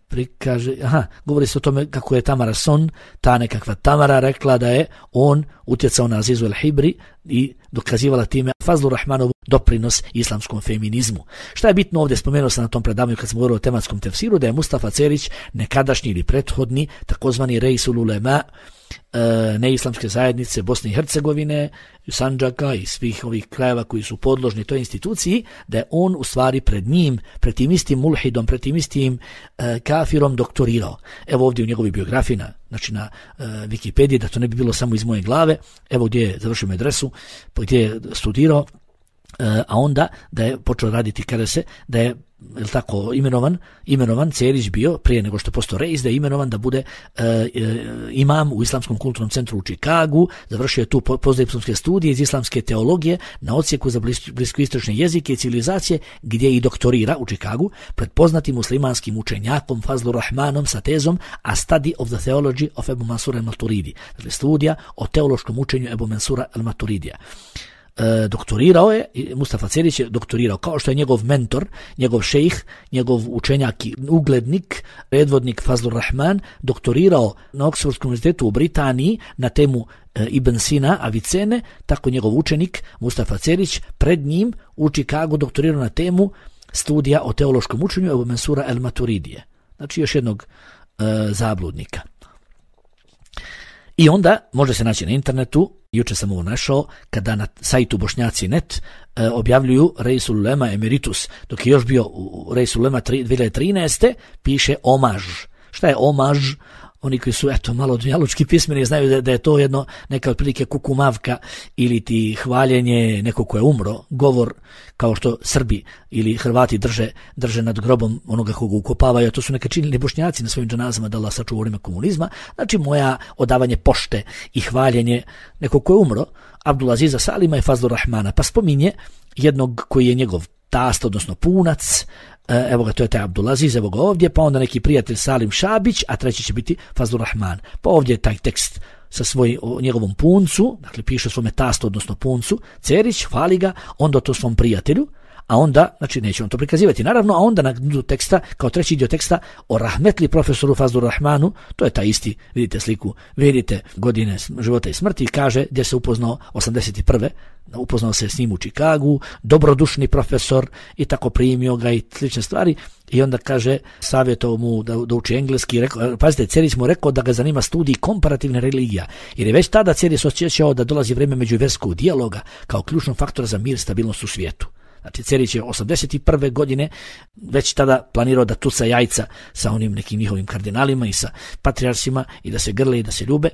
prikaže, aha, govori se o tome kako je Tamara Son, ta nekakva Tamara rekla da je on utjecao na Azizu El Hibri i dokazivala time Fazlur Rahmanov doprinos islamskom feminizmu. Šta je bitno ovdje, spomenuo sam na tom predavanju kad smo govorili o tematskom tefsiru, da je Mustafa Cerić nekadašnji ili prethodni takozvani Reisul Ulema e, neislamske zajednice Bosne i Hercegovine, Sandžaka i svih ovih krajeva koji su podložni toj instituciji, da je on u stvari pred njim, pred tim istim mulhidom, pred tim istim e, kafirom doktorirao. Evo ovdje u njegovoj biografiji, na, znači na e, Wikipediji, da to ne bi bilo samo iz moje glave, evo gdje je završio medresu, gdje je studirao, a onda da je počeo raditi, kada se da je je tako imenovan, imenovan Cerić bio prije nego što je postao reis, da je imenovan da bude e, e, imam u Islamskom kulturnom centru u Čikagu, završio je tu postdiplomske studije iz islamske teologije na odsjeku za blis, bliskoistočne jezike i civilizacije, gdje i doktorira u Čikagu pred poznatim muslimanskim učenjakom Fazlur Rahmanom sa tezom A Study of the Theology of Ebu Mansura al-Maturidi, dakle studija o teološkom učenju Ebu Mansura al-Maturidija. E, doktorirao je, Mustafa Cerić je doktorirao, kao što je njegov mentor, njegov šejh, njegov učenjak i uglednik, predvodnik Fazlur Rahman, doktorirao na Oxfordskom univerzitetu u Britaniji na temu e, Ibn Sina, Avicene, tako njegov učenik Mustafa Cerić pred njim u Čikagu doktorirao na temu studija o teološkom učenju Ebu Mansura al-Maturidije. Znači još jednog e, zabludnika. I onda može se naći na internetu, juče sam ovo našao, kada na sajtu bošnjaci punkt net e, objavljuju Reisul Ulema Emeritus, dok je još bio u Reisul Ulema dvije hiljade trinaeste, piše omaž. Šta je omaž? Oni koji su eto malo dunjalučki pismeni znaju da, da je to jedno neka otprilike kukumavka ili ti hvaljenje nekog ko je umro, govor kao što Srbi ili Hrvati drže, drže nad grobom onoga koga ukopavaju, a to su neka činili Bošnjaci na svojim dženazama, da Allah sačuva u vrijeme komunizma. Znači moja odavanje pošte i hvaljenje nekog ko je umro, Abdulaziza Salima i Fazlur Rahmana, pa spominje jednog koji je njegov tast, odnosno punac, evo ga, to je taj Abdulaziz, evo ga ovdje, pa onda neki prijatelj Salim Šabić, a treći će biti Fazlur Rahman. Pa ovdje je taj tekst sa svoj, o njegovom puncu, dakle piše svome tastu, odnosno puncu, Cerić, hvali ga, onda to svom prijatelju, a onda, znači neće on to prikazivati, naravno, a onda na dnu teksta, kao treći dio teksta, o rahmetli profesoru Fazlur Rahmanu, to je taj isti, vidite sliku, vidite godine života i smrti, kaže gdje se upoznao osamdeset prve upoznao se s njim u Čikagu, dobrodušni profesor i tako primio ga i slične stvari, i onda kaže, savjetovao mu da, da uči engleski, rekao, pazite, Cerić mu rekao da ga zanima studij komparativne religija, jer je već tada Cerić osjećao da dolazi vrijeme međuvjerskog dijaloga kao ključnog faktora za mir i stabilnost u svijetu. Znači Cerić je osamdeset prve godine već tada planirao da tuca jajca sa onim nekim njihovim kardinalima i sa patrijarsima i da se grle i da se ljube,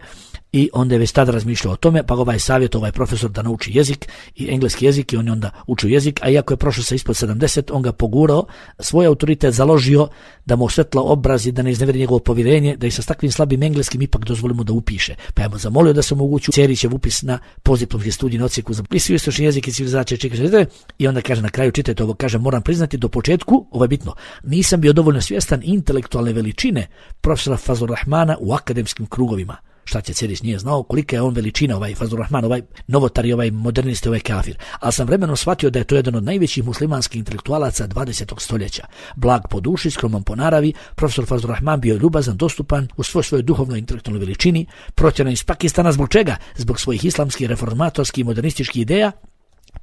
i onda je već tada razmišljao o tome, pa ovaj savjet, ovaj profesor da nauči jezik i engleski jezik, i on je onda učio jezik, a iako je prošao sa ispod sedamdeset, on ga pogurao, svoj autoritet založio da mu osvetla obraz i da ne iznevjeri njegovo povjerenje, da i sa takvim slabim engleskim ipak dozvolimo da upiše. Pa je mu zamolio da se omogući Cerićev upis na postdiplomski studij na odsjeku za bliskoistočni jezik i civilizacije Čikaga, i onda kaže na kraju, čitajte ovo, kaže, moram priznati do početku, ovo je bitno, nisam bio dovoljno svjestan intelektualne veličine profesora Fazlur Rahmana u akademskim krugovima. šta će Cerić nije znao, kolika je on veličina, ovaj Fazlur Rahman, ovaj novotar i ovaj modernist, ovaj kafir. Ali sam vremenom shvatio da je to jedan od najvećih muslimanskih intelektualaca dvadesetog stoljeća. Blag po duši, skroman po naravi, profesor Fazlur Rahman bio ljubazan, dostupan u svoj svojoj duhovnoj intelektualnoj veličini, protjeran iz Pakistana zbog čega? Zbog svojih islamskih, reformatorskih i modernističkih ideja.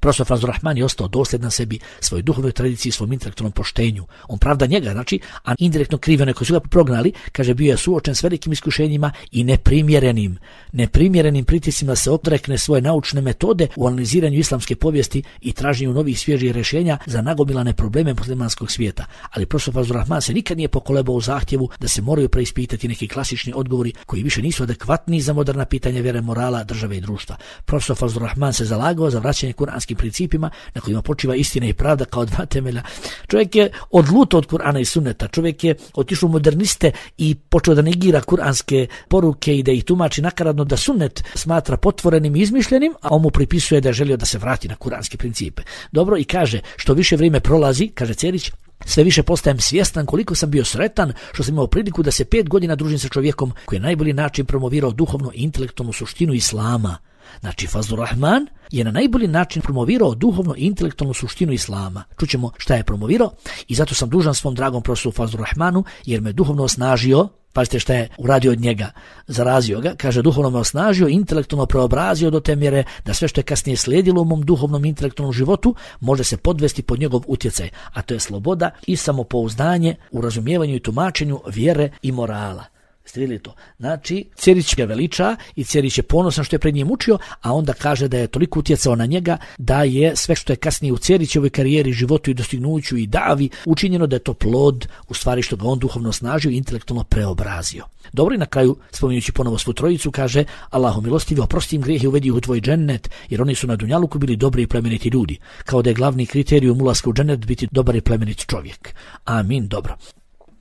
Profesor Fazlur Rahman je ostao dosljedan sebi, svojoj duhovnoj tradiciji, svom intelektualnom poštenju. On pravda njega, znači, a indirektno krivi one koji su ga prognali, kaže bio je suočen s velikim iskušenjima i neprimjerenim, neprimjerenim pritiscima da se odrekne svoje naučne metode u analiziranju islamske povijesti i traženju novih svježih rješenja za nagomilane probleme muslimanskog svijeta. Ali profesor Fazlur Rahman se nikad nije pokolebao u zahtjevu da se moraju preispitati neki klasični odgovori koji više nisu adekvatni za moderna pitanja vjere, morala, države i društva. Profesor Fazlur Rahman se zalagao za vraćanje kuranskim principima na kojima počiva istina i pravda kao dva temelja. Čovjek je odlutao od Kur'ana i sunneta, čovjek je otišao u moderniste i počeo da negira kuranske poruke i da ih tumači nakaradno, da sunnet smatra potvorenim i izmišljenim, a on mu pripisuje da je želio da se vrati na kuranske principe. Dobro, i kaže, što više vrijeme prolazi, kaže Cerić, sve više postajem svjestan koliko sam bio sretan što sam imao priliku da se pet godina družim sa čovjekom koji je na najbolji način promovirao duhovno i intelektualnu suštinu islama. Znači, Fazlur Rahman je na najbolji način promovirao duhovno i intelektualnu suštinu islama. Čućemo šta je promovirao i zato sam dužan svom dragom profesoru Fazlur Rahmanu jer me duhovno osnažio. Pazite šta je uradio od njega, zarazio ga, kaže duhovno me osnažio, intelektualno preobrazio do te mjere da sve što je kasnije slijedilo u mom duhovnom intelektualnom životu može se podvesti pod njegov utjecaj, a to je sloboda i samopouzdanje u razumijevanju i tumačenju vjere i morala. Ste vidjeli to? Znači, Cerić ga veliča i Cerić je ponosan što je pred njim učio, a onda kaže da je toliko utjecao na njega da je sve što je kasnije u Cerićevoj karijeri, životu i dostignuću i davi učinjeno da je to plod, u stvari što ga on duhovno snažio i intelektualno preobrazio. Dobro, i na kraju, spominjući ponovo svu trojicu, kaže Allahu milostivi, oprosti im grijehe i uvedi ih u tvoj džennet, jer oni su na dunjaluku bili dobri i plemeniti ljudi, kao da je glavni kriterijum ulaska u džennet biti dobar i plemenit čovjek. Amin, dobro.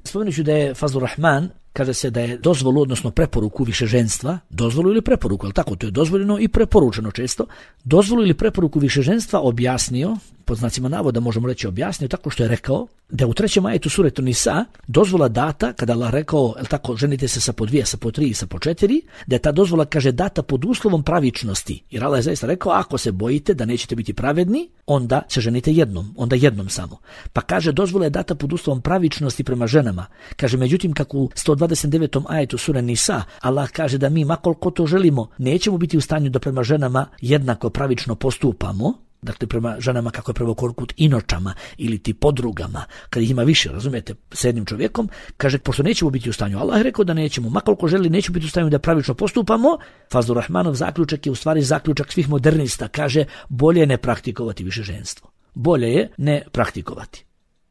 Spomenuću da je Fazlur Rahman, kaže se da je dozvolu, odnosno preporuku višeženstva, dozvolu ili preporuku, ali tako, to je dozvoljeno i preporučeno često, dozvolu ili preporuku višeženstva objasnio, pod znacima navoda možemo reći objasnio, tako što je rekao da u trećem ajetu suratu Nisa dozvola data, kada Allah rekao, el tako, ženite se sa po dvije, sa po tri i sa po četiri, da je ta dozvola, kaže, data pod uslovom pravičnosti. Jer Allah je zaista rekao, ako se bojite da nećete biti pravedni, onda se ženite jednom, onda jednom samo. Pa kaže, dozvola je data pod uslovom pravičnosti prema ženama. Kaže, međutim, kako u sto dvadeset devetom ajetu sure Nisa, Allah kaže da mi, makoliko to želimo, nećemo biti u stanju da prema ženama jednako pravično postupamo, dakle prema ženama kako je prema korkut inočama ili ti podrugama, kad ih ima više, razumijete, s jednim čovjekom, kaže, pošto nećemo biti u stanju, Allah je rekao da nećemo, makoliko želi, nećemo biti u stanju da pravično postupamo, Fazlur Rahmanov zaključak je u stvari zaključak svih modernista, kaže, bolje je ne praktikovati više ženstvo. Bolje je ne praktikovati.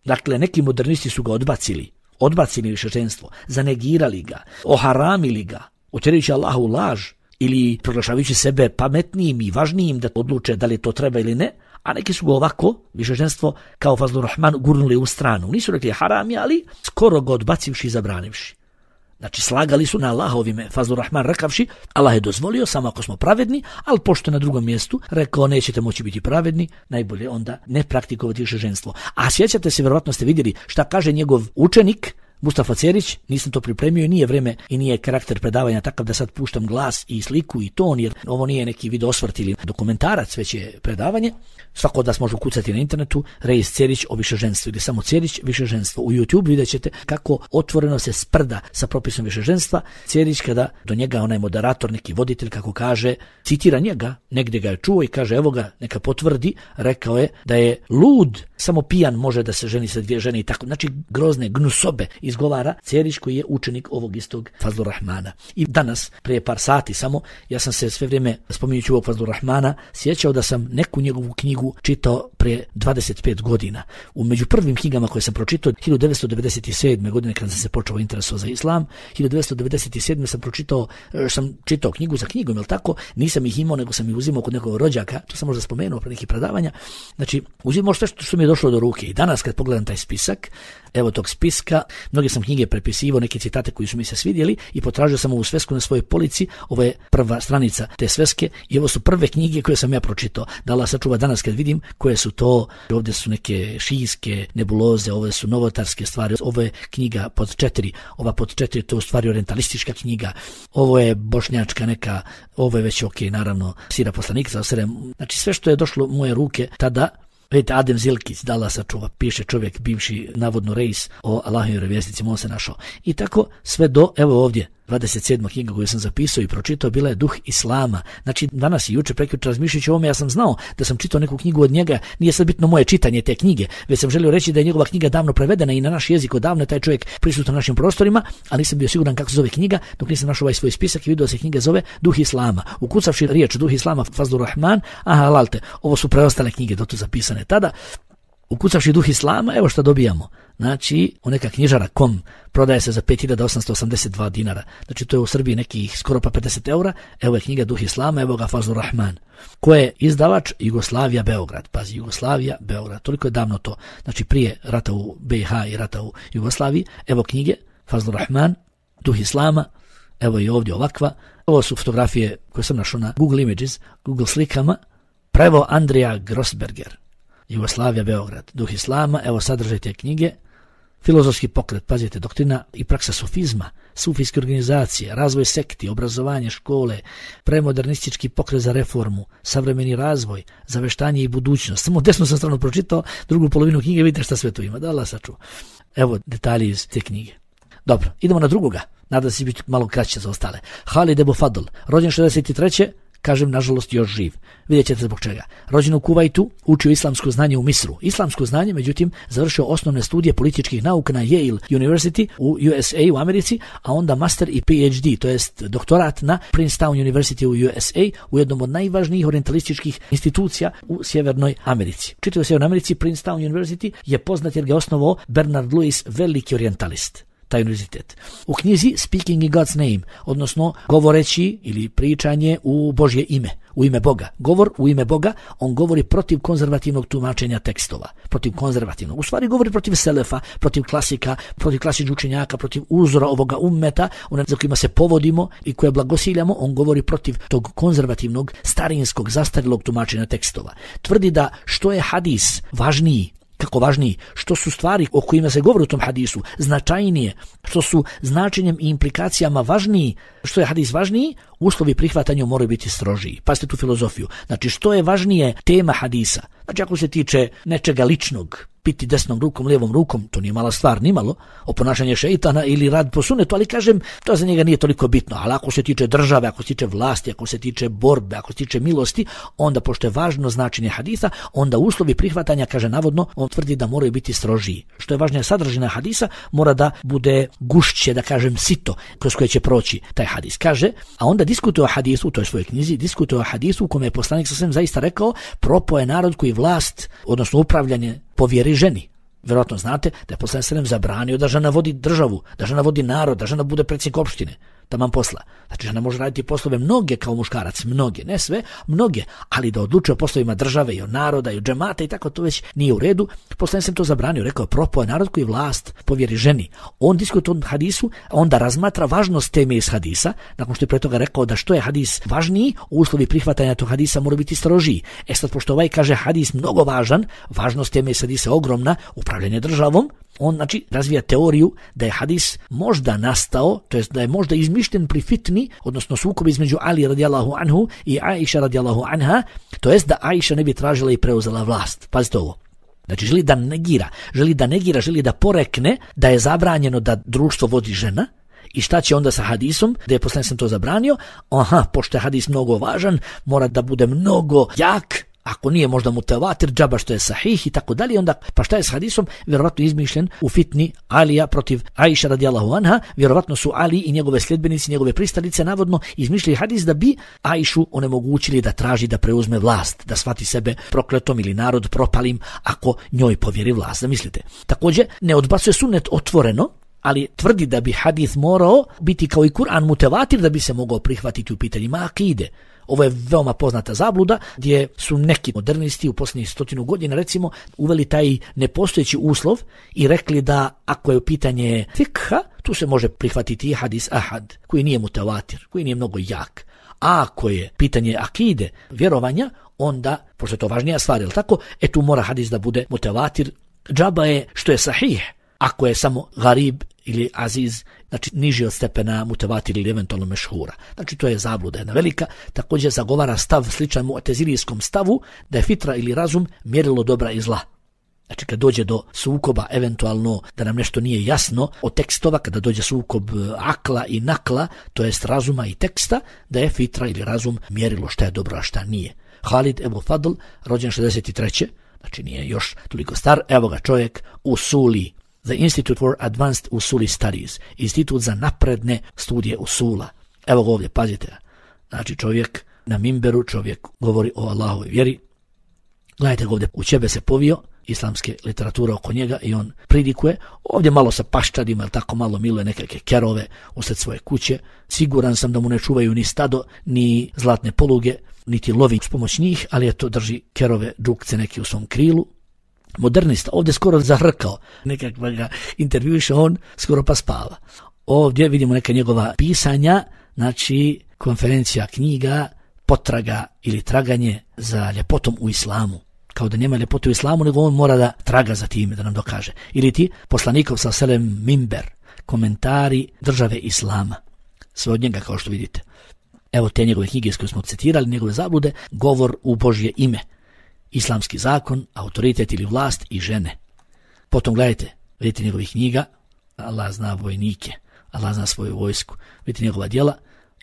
Dakle, neki modernisti su ga odbacili, odbacili više ženstvo, zanegirali ga, oharamili ga, utjerajući Allahu laž, ili proglašavajući sebe pametnijim i važnijim da odluče da li to treba ili ne, a neki su ga ovako, višeženstvo, kao Fazlur Rahman, gurnuli u stranu. Nisu rekli haram, ali skoro ga odbacivši i zabranivši. Znači, slagali su na Allahovime, Fazlur Rahman rekavši, Allah je dozvolio samo ako smo pravedni, ali pošto je na drugom mjestu rekao nećete moći biti pravedni, najbolje onda ne praktikovati višeženstvo. A sjećate se, vjerovatno ste vidjeli šta kaže njegov učenik, Mustafa Cerić, nisam to pripremio i nije vrijeme i nije karakter predavanja takav da sad puštam glas i sliku i ton, jer ovo nije neki video osvrt ili dokumentarac, već je predavanje. Svako od vas može ukucati na internetu Reis Cerić o višeženstvu ili samo Cerić višeženstvo. U YouTube vidjet ćete kako otvoreno se sprda sa propisom višeženstva. Cerić, kada do njega onaj moderator, neki voditelj, kako kaže, citira njega, negdje ga je čuo i kaže evo ga, neka potvrdi, rekao je da je lud, samo pijan može da se ženi sa dvije žene i tako. Znači grozne gnusobe izgovara Cerić koji je učenik ovog istog Fazlur Rahmana. I danas, prije par sati samo, ja sam se sve vrijeme, spominjući ovog Fazlur Rahmana, sjećao da sam neku njegovu knjigu čitao prije dvadeset pet godina. U među prvim knjigama koje sam pročitao hiljadu devetsto devedeset sedme. godine kada sam se počeo interesovati za islam, hiljadu devetsto devedeset sedme. sam pročitao, sam čitao knjigu za knjigom, jel tako? Nisam ih imao, nego sam ih uzimao kod nekog rođaka, to sam možda spomenuo pre nekih predavanja. Znači, uzimao sve što, što mi je došlo do ruke. I danas kad pogledam taj spisak, evo tog spiska. Mnoge sam knjige prepisivao, neke citate koji su mi se svidjeli i potražio sam ovu svesku na svojoj polici. Ovo je prva stranica te sveske i ovo su prve knjige koje sam ja pročitao. Da Allah sačuva danas kad vidim koje su to. Ovdje su neke šijske nebuloze, ove su novotarske stvari. Ovo je knjiga pod četiri. Ova pod četiri to je u stvari orientalistička knjiga. Ovo je bošnjačka neka, ovo je već ok, naravno, sira poslanika. Znači sve što je došlo u moje ruke tada. Vidite, Adem Zilkić, da Allah sačuva, piše čovjek, bivši navodno reis o Allahovim vjerovjesnicima, on se našao. I tako sve do, evo ovdje, dvadeset sedma knjiga koju sam zapisao i pročitao, bila je Duh Islama. Znači, danas i juče, prekjuče razmišljajući o ovome, ja sam znao da sam čitao neku knjigu od njega, nije sad bitno moje čitanje te knjige, već sam želio reći da je njegova knjiga davno prevedena i na naš jezik odavno je taj čovjek prisutan na našim prostorima, ali nisam bio siguran kako se zove knjiga, dok nisam našao ovaj svoj spisak i vidio se knjiga zove Duh Islama. Ukucavši riječ Duh Islama, Fazlur Rahman, aha, lalte, ovo su preostale knjige do tu zapisane tada. Ukucavši Duh Islama, evo šta dobijamo. Znači, u neka knjižara kom prodaje se za pet hiljada osamsto osamdeset dva dinara. Znači, to je u Srbiji nekih skoro pa pedeset eura. Evo je knjiga Duh Islama, evo ga Fazlur Rahman. Ko je izdavač? Jugoslavija, Beograd. Pazi, Jugoslavija, Beograd. Toliko je davno to. Znači, prije rata u B i H i rata u Jugoslaviji. Evo knjige Fazlur Rahman, Duh Islama. Evo i ovdje ovakva. Ovo su fotografije koje sam našao na Google Images, Google slikama. Prevo Andrija Grossberger. Jugoslavija, Beograd, Duh Islama, evo sadržaj te knjige, filozofski pokret, pazite, doktrina i praksa sufizma, sufijske organizacije, razvoj sekti, obrazovanje, škole, premodernistički pokret za reformu, savremeni razvoj, zaveštanje i budućnost. Samo desnu sam stranu pročitao, drugu polovinu knjige, vidite šta sve tu ima, da Allah sačuva. Evo detalji iz te knjige. Dobro, idemo na drugoga, nadam se biti malo kraće za ostale. Halid Ebu Fadl, rođen šezdeset treće Kažem, nažalost, još živ. Vidjet ćete zbog čega. Rođen u Kuvajtu, učio islamsko znanje u Misru. Islamsko znanje, međutim, završio osnovne studije političkih nauka na Yale University u U S A u Americi, a onda master i P H D, to jest doktorat na Princeton University u U S A, u jednom od najvažnijih orientalističkih institucija u Sjevernoj Americi. Čitao u Sjevernoj Americi, Princeton University je poznat jer ga je osnovao Bernard Lewis, veliki orientalist. Taj univerzitet. U knjizi Speaking in God's Name, odnosno govoreći ili pričanje u Božje ime, u ime Boga. Govor u ime Boga, on govori protiv konzervativnog tumačenja tekstova, protiv konzervativnog. U stvari govori protiv selefa, protiv klasika, protiv klasičnih učenjaka, protiv uzora ovoga ummeta, one za kojima se povodimo i koje blagosiljamo, on govori protiv tog konzervativnog, starinskog, zastarjelog tumačenja tekstova. Tvrdi da što je hadis važniji, kako važniji, što su stvari o kojima se govori u tom hadisu značajnije, što su značenjem i implikacijama važniji, što je hadis važniji, uslovi prihvatanja moraju biti strožiji. Pazite tu filozofiju. Znači, što je važnije tema hadisa? Znači, ako se tiče nečega ličnog, piti desnom rukom, lijevom rukom, to nije mala stvar, nimalo, o ponašanje šeitana ili rad po sunetu, ali kažem, to za njega nije toliko bitno. Ali ako se tiče države, ako se tiče vlasti, ako se tiče borbe, ako se tiče milosti, onda, pošto je važno značenje hadisa, onda uslovi prihvatanja, kaže navodno, on tvrdi da moraju biti strožiji. Što je važnija sadržina hadisa, mora da bude gušće, da kažem, sito, kroz koje će proći taj hadis. Kaže, a onda diskutuje o hadisu, u toj svojoj knjizi, diskutuje o hadisu u kome je poslanik sa svem zaista rekao, propao je narod koji vlast, odnosno upravljanje, povjeri ženi. Vjerojatno znate da je poslanik sallallahu alejhi ve sellem zabranio da žena vodi državu, da žena vodi narod, da žena bude predsjednik opštine. Taman posla. Znači, žena može raditi poslove mnoge kao muškarac, mnoge, ne sve, mnoge, ali da odlučuje o poslovima države i o naroda i o džemata i tako, to već nije u redu. Poslanik sam to zabranio, rekao je, propao je narod koji vlast povjeri ženi. On diskutuje o hadisu, onda razmatra važnost teme iz hadisa, nakon što je pre toga rekao da što je hadis važniji, uslovi prihvatanja tog hadisa moraju biti strožiji. E sad, pošto ovaj kaže hadis mnogo važan, važnost teme iz hadisa ogromna, upravljanje državom, on, znači, razvija teoriju da je hadis možda nastao, to jest da je možda izmišljen pri fitni, odnosno sukob između Ali radijallahu anhu i Aisha radijallahu anha, to jest da Aisha ne bi tražila i preuzela vlast. Pazite ovo. Znači, želi da negira, želi da negira, želi da porekne da je zabranjeno da društvo vodi žena. I šta će onda sa hadisom, da je poslanik sam to zabranio? Aha, pošto je hadis mnogo važan, mora da bude mnogo jak, ako nije možda mutevatir, džaba što je sahih i tako dalje, onda pa šta je s hadisom? Vjerovatno izmišljen u fitni Alija protiv Aisha radijallahu anha, vjerovatno su Ali i njegove sljedbenici, njegove pristalice navodno izmišljali hadis da bi Aishu onemogućili da traži da preuzme vlast, da shvati sebe prokletom ili narod propalim ako njoj povjeri vlast. Zamislite. Također ne odbacuje sunnet otvoreno, ali tvrdi da bi hadis morao biti kao i Kur'an mutevatir da bi se mogao prihvatiti u pitanjima akide. Ovo je veoma poznata zabluda gdje su neki modernisti u posljednjih stotinu godina recimo uveli taj nepostojeći uslov i rekli da ako je pitanje fikha, tu se može prihvatiti hadis ahad koji nije mutavatir, koji nije mnogo jak. A ako je pitanje akide, vjerovanja, onda, pošto je to važnija stvar, jel tako, e tu mora hadis da bude mutavatir. Džaba je što je sahih, ako je samo garib ili aziz, znači niži od stepena mutavatir ili eventualno mešhura. Znači to je zabluda jedna velika. Također zagovara stav sličan mu'tezilijskom stavu da je fitra ili razum mjerilo dobra i zla. Znači kad dođe do sukoba, eventualno da nam nešto nije jasno od tekstova, kada dođe sukob akla i nakla, to jest razuma i teksta, da je fitra ili razum mjerilo šta je dobro, a šta nije. Halid Ebu Fadl, rođen šezdeset treće znači nije još toliko star, evo ga čovjek usuli, The Institute for Advanced Usuli Studies, institut za napredne studije usula. Evo ga ovdje, pazite. Znači čovjek na mimberu, čovjek govori o Allahovoj vjeri. Gledajte ga ovdje, u čebe se povio, islamske literature oko njega i on pridikuje. Ovdje malo sa paščadima, ili tako malo miluje nekakve kerove usred svoje kuće. Siguran sam da mu ne čuvaju ni stado, ni zlatne poluge, niti lovi s pomoć njih, ali je to drži kerove, džukce neki u svom krilu. Modernista, ovdje skoro zahrkao, nekakva ga intervjuiše, on skoro pa spava. Ovdje vidimo neka njegova pisanja, znači konferencija knjiga, potraga ili traganje za ljepotom u islamu. Kao da nema ljepote u islamu, nego on mora da traga za time, da nam dokaže. Ili ti poslanikov sa selem mimber, komentari države islama. Sve od njega kao što vidite. Evo te njegove knjige s koje smo citirali, njegove zablude, govor u Božje ime. Islamski zakon, autoritet ili vlast i žene. Potom gledajte, vidite njegovih knjiga, Allah zna vojnike, Allah zna svoju vojsku, vidite njegova djela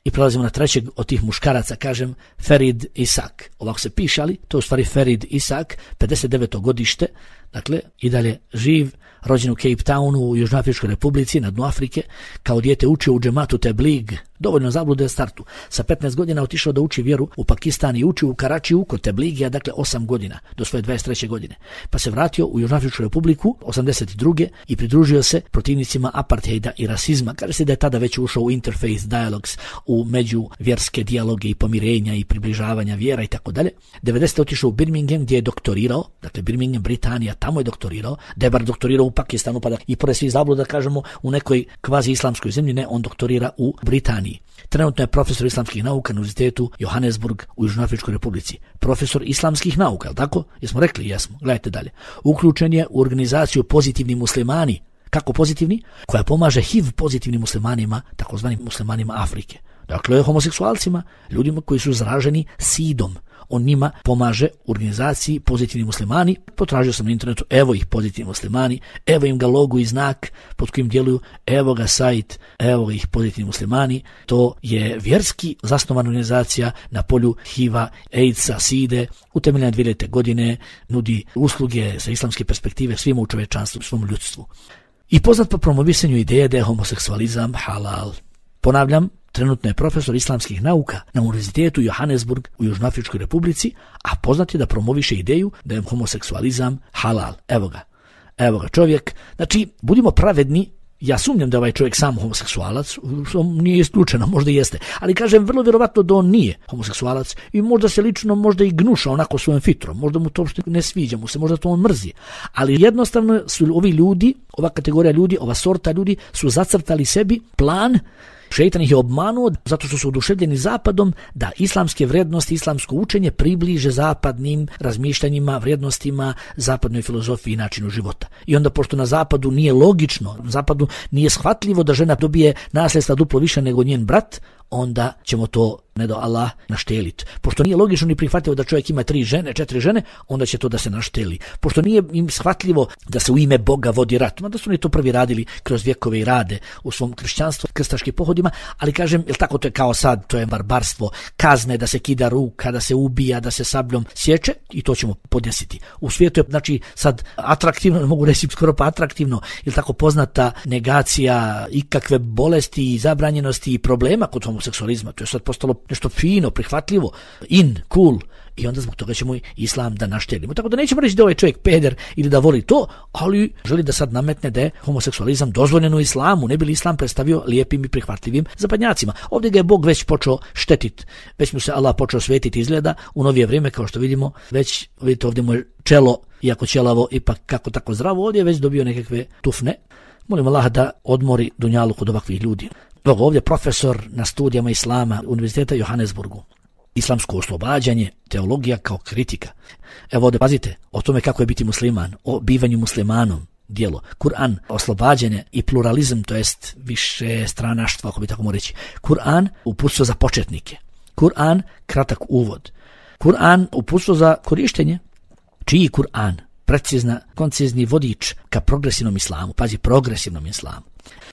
i prelazimo na trećeg od tih muškaraca, kažem, Ferid Isak. Ovako se piše, ali to je u stvari Ferid Isak, pedeset deveto godište, dakle, i dalje živ, rođen u Cape Townu u Južnoafričkoj republici, na dnu Afrike, kao dijete učio u džematu Teblig, dovoljno zablude startu. Sa petnaest godina otišao da uči vjeru u Pakistan i učio u Karačiju kod Tebligija, dakle osam godina, do svoje dvadeset treće godine. Pa se vratio u Južnoafričku republiku osamdeset druge i pridružio se protivnicima apartheida i rasizma. Kaže se da je tada već ušao u interface dialogs, u međuvjerske dijaloge i pomirenja i približavanja vjera i tako dalje. devedesete otišao u Birmingham gdje je doktorirao, dakle Birmingham, Britanija, tamo je doktorirao, da je bar doktorirao u Pakistanu, pa da i pored svih zabluda kažemo u nekoj kvazi islamskoj zemlji, ne, on doktorira u Britaniji. Trenutno je profesor islamskih nauka na Univerzitetu Johannesburg u Južnoafričkoj republici. Profesor islamskih nauka, je li tako? Jesmo rekli? Jesmo. Gledajte dalje. Uključen je u organizaciju Pozitivni muslimani. Kako pozitivni? Koja pomaže H I V pozitivnim muslimanima, takozvanim muslimanima Afrike. Dakle, homoseksualcima, ljudima koji su zaraženi sidom. On njima pomaže u organizaciji Pozitivni muslimani. Potražio sam na internetu, evo ih Pozitivni muslimani, evo im ga logo i znak pod kojim djeluju, evo ga sajt, evo ih Pozitivni muslimani. To je vjerski zasnovana organizacija na polju H I V-a, AIDS-a, side, utemeljena dvije hiljadite godine, nudi usluge sa islamske perspektive svima u čovječanstvu, svom ljudstvu. I poznat po promovisanju ideje da je homoseksualizam halal. Ponavljam, trenutno je profesor islamskih nauka na Univerzitetu Johannesburg u Južnoafričkoj republici, a poznat je da promoviše ideju da je homoseksualizam halal. Evo ga, evo ga čovjek. Znači, budimo pravedni, ja sumnjam da ovaj čovjek sam homoseksualac, što nije isključeno, možda i jeste, ali kažem vrlo vjerovatno da on nije homoseksualac i možda se lično možda i gnuša onako svojom fitrom, možda mu to uopšte ne sviđa mu se, možda to on mrzi, ali jednostavno su ovi ljudi, ova kategorija ljudi, ova sorta ljudi su zacrtali sebi plan. Šeitan ih je obmanuo zato što su oduševljeni zapadom da islamske vrijednosti, islamsko učenje približe zapadnim razmišljanjima, vrijednostima, zapadnoj filozofiji i načinu života. I onda pošto na zapadu nije logično, na zapadu nije shvatljivo da žena dobije nasljedstva duplo više nego njen brat, onda ćemo to, ne do Allah, našteliti. Pošto nije logično ni prihvatljivo da čovjek ima tri žene, četiri žene, onda će to da se našteli. Pošto nije im shvatljivo da se u ime Boga vodi rat, mada su oni to prvi radili kroz vjekove i rade u svom kršćanstvu, krstaškim pohodima, ali kažem, jel tako to je kao sad, to je barbarstvo, kazne da se kida ruka, da se ubija, da se sabljom sječe i to ćemo podnesiti. U svijetu je, znači, sad atraktivno, ne mogu reći skoro pa atraktivno, jel tako poznata negacija ikakve bolesti i zabranjenosti i problema kod homoseksualizma. To je sad postalo nešto fino, prihvatljivo, in, cool. i onda zbog toga ćemo islam da naštelimo. Tako da nećemo reći da ovaj čovjek peder ili da voli to, ali želi da sad nametne da je homoseksualizam dozvoljen u islamu, ne bi li islam predstavio lijepim i prihvatljivim zapadnjacima. Ovdje ga je Bog već počeo štetiti, već mu se Allah počeo svetiti izgleda u novije vrijeme, kao što vidimo, već vidite ovdje mu je čelo, iako ćelavo, ipak kako tako zdravo, ovdje je već dobio nekakve tufne. Molim Allah da odmori dunjalu kod ovakvih ljudi. Evo ovdje profesor na studijama islama Univerziteta u Johannesburgu. Islamsko oslobađanje, teologija kao kritika. Evo ovdje pazite o tome kako je biti musliman, o bivanju muslimanom, dijelo. Kur'an, oslobađanje i pluralizam, to jest više stranaštva, ako bi tako mogu reći. Kur'an, uputstvo za početnike. Kur'an, kratak uvod. Kur'an, uputstvo za korištenje. Čiji Kur'an? Precizna, koncizni vodič ka progresivnom islamu. Pazi, progresivnom islamu.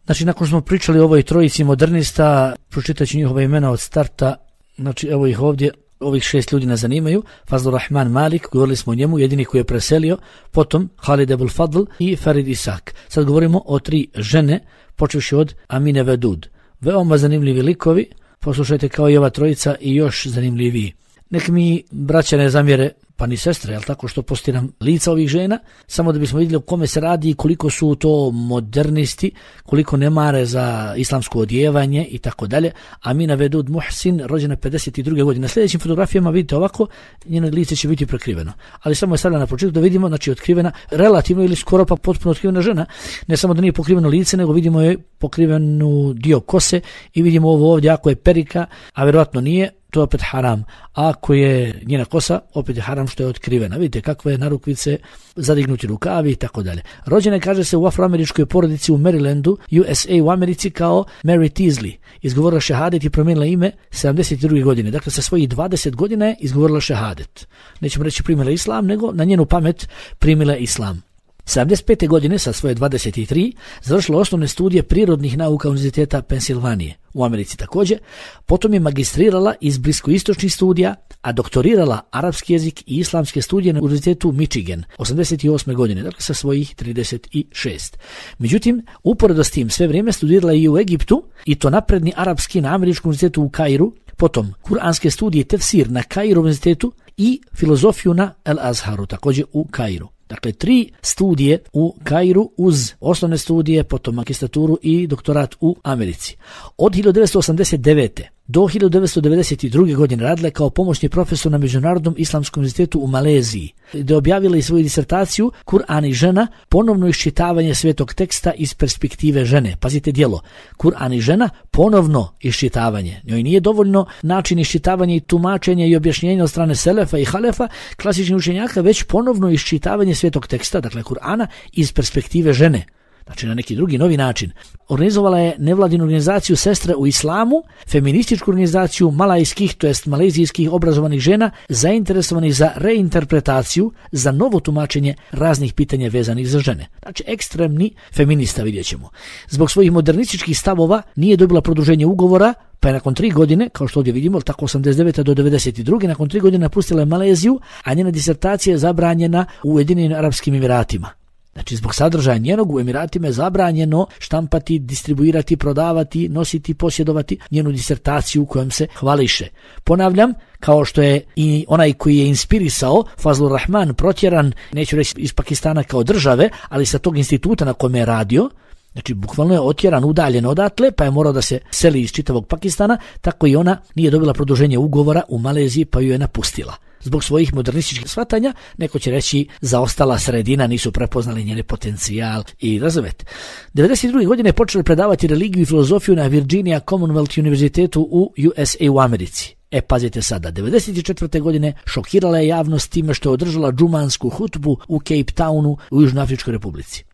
Znači, nakon smo pričali o ovoj trojici modernista, pročitat ću njihova imena od starta. Znači, evo ih ovdje, ovih šest ljudi nas zanimaju. Fazlur Rahman Malik, govorili smo o njemu, jedini koji je preselio, potom Khalid Abul Fadl i Farid Isak. Sad govorimo o tri žene, počevši od Amine Vedud. Veoma zanimljivi likovi, poslušajte kao i ova trojica i još zanimljiviji. Nek mi braća ne zamjere, pa ni sestre, jel tako, što postiram lica ovih žena, samo da bismo vidjeli o kome se radi i koliko su to modernisti, koliko ne mare za islamsko odjevanje i tako dalje. Amina Vedud Muhsin, rođena pedeset druge godine. Na sljedećim fotografijama vidite ovako, njeno lice će biti prekriveno. Ali samo je stavljena na početku da vidimo, znači otkrivena, relativno ili skoro pa potpuno otkrivena žena. Ne samo da nije pokriveno lice, nego vidimo je pokrivenu dio kose i vidimo ovo ovdje, ako je perika, a vjerojatno nije, to je opet haram. A ako je njena kosa, opet je haram što je otkrivena. Vidite kakve narukvice, zadignuti rukavi i tako dalje. Rođena je, kaže se, u afroameričkoj porodici u Marylandu, U S A u Americi, kao Mary Teasley. Izgovorila šehadet i promijenila ime sedamdeset druge godine. Dakle, sa svojih dvadeset godina je izgovorila šehadet. Nećemo reći primila islam, nego na njenu pamet primila islam. sedamdeset pete godine, sa svoje dvadeset tri, završila osnovne studije prirodnih nauka Univerziteta Pensilvanije u Americi također, potom je magistrirala iz bliskoistočnih studija, a doktorirala arapski jezik i islamske studije na Univerzitetu Michigan osamdeset osme godine, dakle sa svojih trideset šest. Međutim, uporedo s tim sve vrijeme studirala i u Egiptu, i to napredni arapski na Američkom univerzitetu u Kairu, potom kuranske studije tefsir na Kairu univerzitetu i filozofiju na El Azharu, također u Kairu. Dakle, tri studije u Kairu uz osnovne studije, potom magistraturu i doktorat u Americi. Od hiljadu devetsto osamdeset devete do hiljadu devetsto devedeset druge godine radila je kao pomoćni profesor na Međunarodnom islamskom univerzitetu u Maleziji, gdje je objavila i svoju disertaciju Kur'an i žena, ponovno iščitavanje svetog teksta iz perspektive žene. Pazite djelo, Kur'an i žena, ponovno iščitavanje. Njoj nije dovoljno način iščitavanja i tumačenja i objašnjenja od strane selefa i halefa, klasičnih učenjaka, već ponovno iščitavanje svetog teksta, dakle Kur'ana, iz perspektive žene. Znači na neki drugi novi način. Organizovala je nevladinu organizaciju Sestre u islamu, feminističku organizaciju malajskih, to jest malezijskih obrazovanih žena, zainteresovanih za reinterpretaciju, za novo tumačenje raznih pitanja vezanih za žene. Znači ekstremni feminista, vidjet ćemo. Zbog svojih modernističkih stavova nije dobila produženje ugovora, pa je nakon tri godine, kao što ovdje vidimo, tako osamdeset devete do devedeset druge, nakon tri godine napustila je Maleziju, a njena disertacija je zabranjena u Ujedinjenim Arapskim Emiratima. Znači, zbog sadržaja njenog u Emiratima je zabranjeno štampati, distribuirati, prodavati, nositi, posjedovati njenu disertaciju kojom se hvališe. Ponavljam, kao što je i onaj koji je inspirisao, Fazlur Rahman, protjeran, neću reći iz Pakistana kao države, ali sa tog instituta na kome je radio, znači bukvalno je otjeran, udaljen odatle, pa je morao da se seli iz čitavog Pakistana, tako i ona nije dobila produženje ugovora u Maleziji, pa ju je napustila. Zbog svojih modernističkih shvatanja, neko će reći zaostala sredina, nisu prepoznali njene potencijal i razumete. devedeset druge godine je počela predavati religiju i filozofiju na Virginia Commonwealth Univerzitetu u U S A u Americi. E, pazite sada, devedeset četvrte godine šokirala je javnost time što je održala džumansku hutbu u Cape Townu u Južnoafričkoj Republici.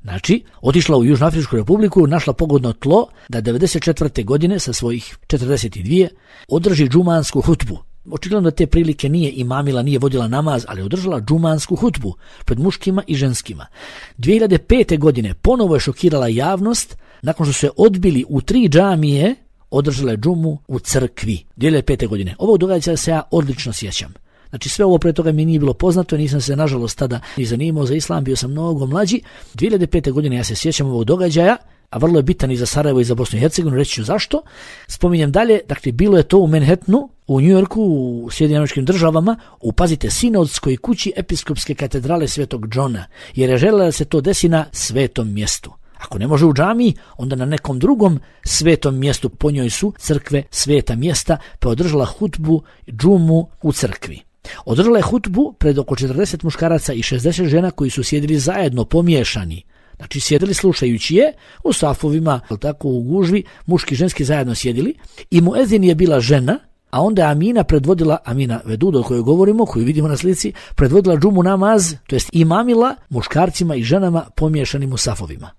Znači, otišla u Južnoafričku Republiku, našla pogodno tlo da devedeset četvrte godine sa svojih četrdeset dvije održi džumansku hutbu. Očigledno da te prilike nije imamila, nije vodila namaz, ali održala džumansku hutbu pred muškima i ženskima. dvije hiljade pete godine ponovo je šokirala javnost nakon što su se odbili u tri džamije, održala je džumu u crkvi. dvije hiljade pete godine. Ovog događaja se ja odlično sjećam. Znači sve ovo pre toga mi nije bilo poznato, nisam se nažalost tada ni zanimao za islam, bio sam mnogo mlađi. dvije hiljade pete godine ja se sjećam ovog događaja a vrlo je bitan i za Sarajevo i za Bosnu i Hercegovinu, reći ću zašto. Spominjem dalje, dakle, bilo je to u Manhattanu, u New Yorku, u Sjedinjenim Američkim Državama, u, pazite, sinodskoj kući episkopske katedrale Svetog Johna, jer je željela da se to desi na svetom mjestu. Ako ne može u džamiji, onda na nekom drugom svetom mjestu, po njoj su crkve sveta mjesta, pa održala hutbu džumu u crkvi. Održala je hutbu pred oko četrdeset muškaraca i šezdeset žena koji su sjedili zajedno, pomiješani. Znači sjedili slušajući je u safovima, tako u gužvi, muški i ženski zajedno sjedili i muezin je bila žena, a onda je Amina predvodila, Amina Veduda o kojoj govorimo, koju vidimo na slici, predvodila džumu namaz, to jest imamila muškarcima i ženama pomiješanim u safovima.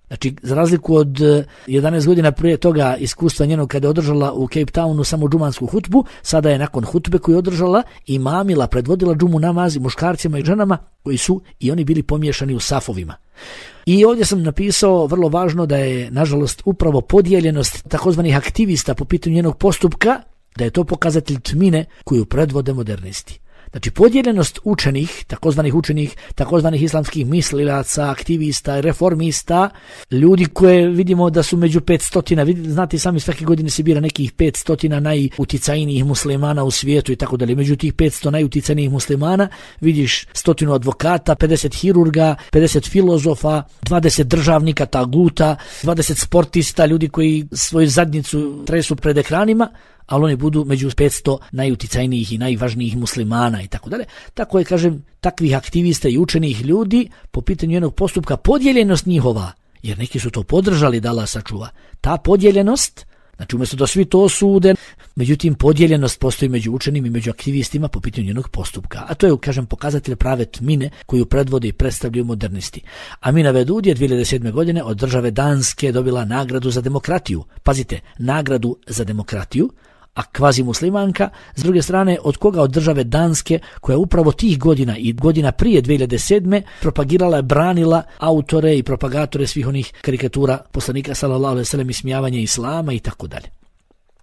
Znači, za razliku od jedanaest godina prije toga iskustva njenog kada je održala u Cape Townu samo džumansku hutbu, sada je nakon hutbe koju je održala imamila, predvodila džumu namaz muškarcima i ženama koji su i oni bili pomiješani u safovima. I ovdje sam napisao vrlo važno da je, nažalost, upravo podijeljenost takozvanih aktivista po pitanju njenog postupka, da je to pokazatelj tmine koju predvode modernisti. Znači, podijeljenost učenih, takozvanih učenih, takozvanih islamskih mislilaca, aktivista, reformista, ljudi koje vidimo da su među petstotina, znate sami svake godine se bira nekih petstotina najuticajnijih muslimana u svijetu i tako dalje. Među tih petsto najuticajnijih muslimana vidiš stotinu advokata, pedeset hirurga, pedeset filozofa, dvadeset državnika, taguta, dvadeset sportista, ljudi koji svoju zadnjicu tresu pred ekranima, ali oni budu među petsto najuticajnijih i najvažnijih muslimana i tako dalje. Tako je, kažem, takvih aktivista i učenih ljudi po pitanju jednog postupka, podijeljenost njihova, jer neki su to podržali da Allah sačuva. Ta podijeljenost, znači umjesto da svi to osude, međutim podijeljenost postoji među učenim i među aktivistima po pitanju jednog postupka. A to je, kažem, pokazatelj prave tmine koju predvode i predstavljaju modernisti. Amina Vedud je dvije hiljade sedme. godine od države Danske dobila nagradu za demokratiju. Pazite, nagradu za demokratiju, a kvazi muslimanka, s druge strane od koga? Od države Danske, koja upravo tih godina i godina prije dvije hiljade sedme. propagirala, branila autore i propagatore svih onih karikatura poslanika sallallahu alejhi ve sellem, ismijavanje islama i tako dalje.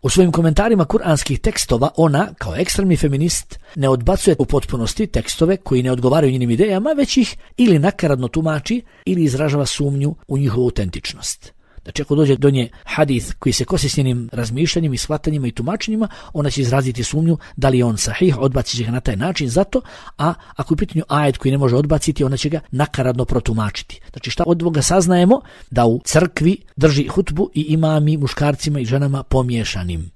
U svojim komentarima kuranskih tekstova ona, kao ekstremni feminist, ne odbacuje u potpunosti tekstove koji ne odgovaraju njenim idejama, već ih ili nakaradno tumači ili izražava sumnju u njihovu autentičnost. Znači, ako dođe do nje hadith koji se kosi s njenim razmišljanjem i shvatanjima i tumačenjima, ona će izraziti sumnju da li je on sahih, odbacit će ga na taj način zato, a ako je u pitanju ajet koji ne može odbaciti, ona će ga nakaradno protumačiti. Znači, šta od ovoga saznajemo? Da u crkvi drži hutbu i imami muškarcima i ženama pomiješanim.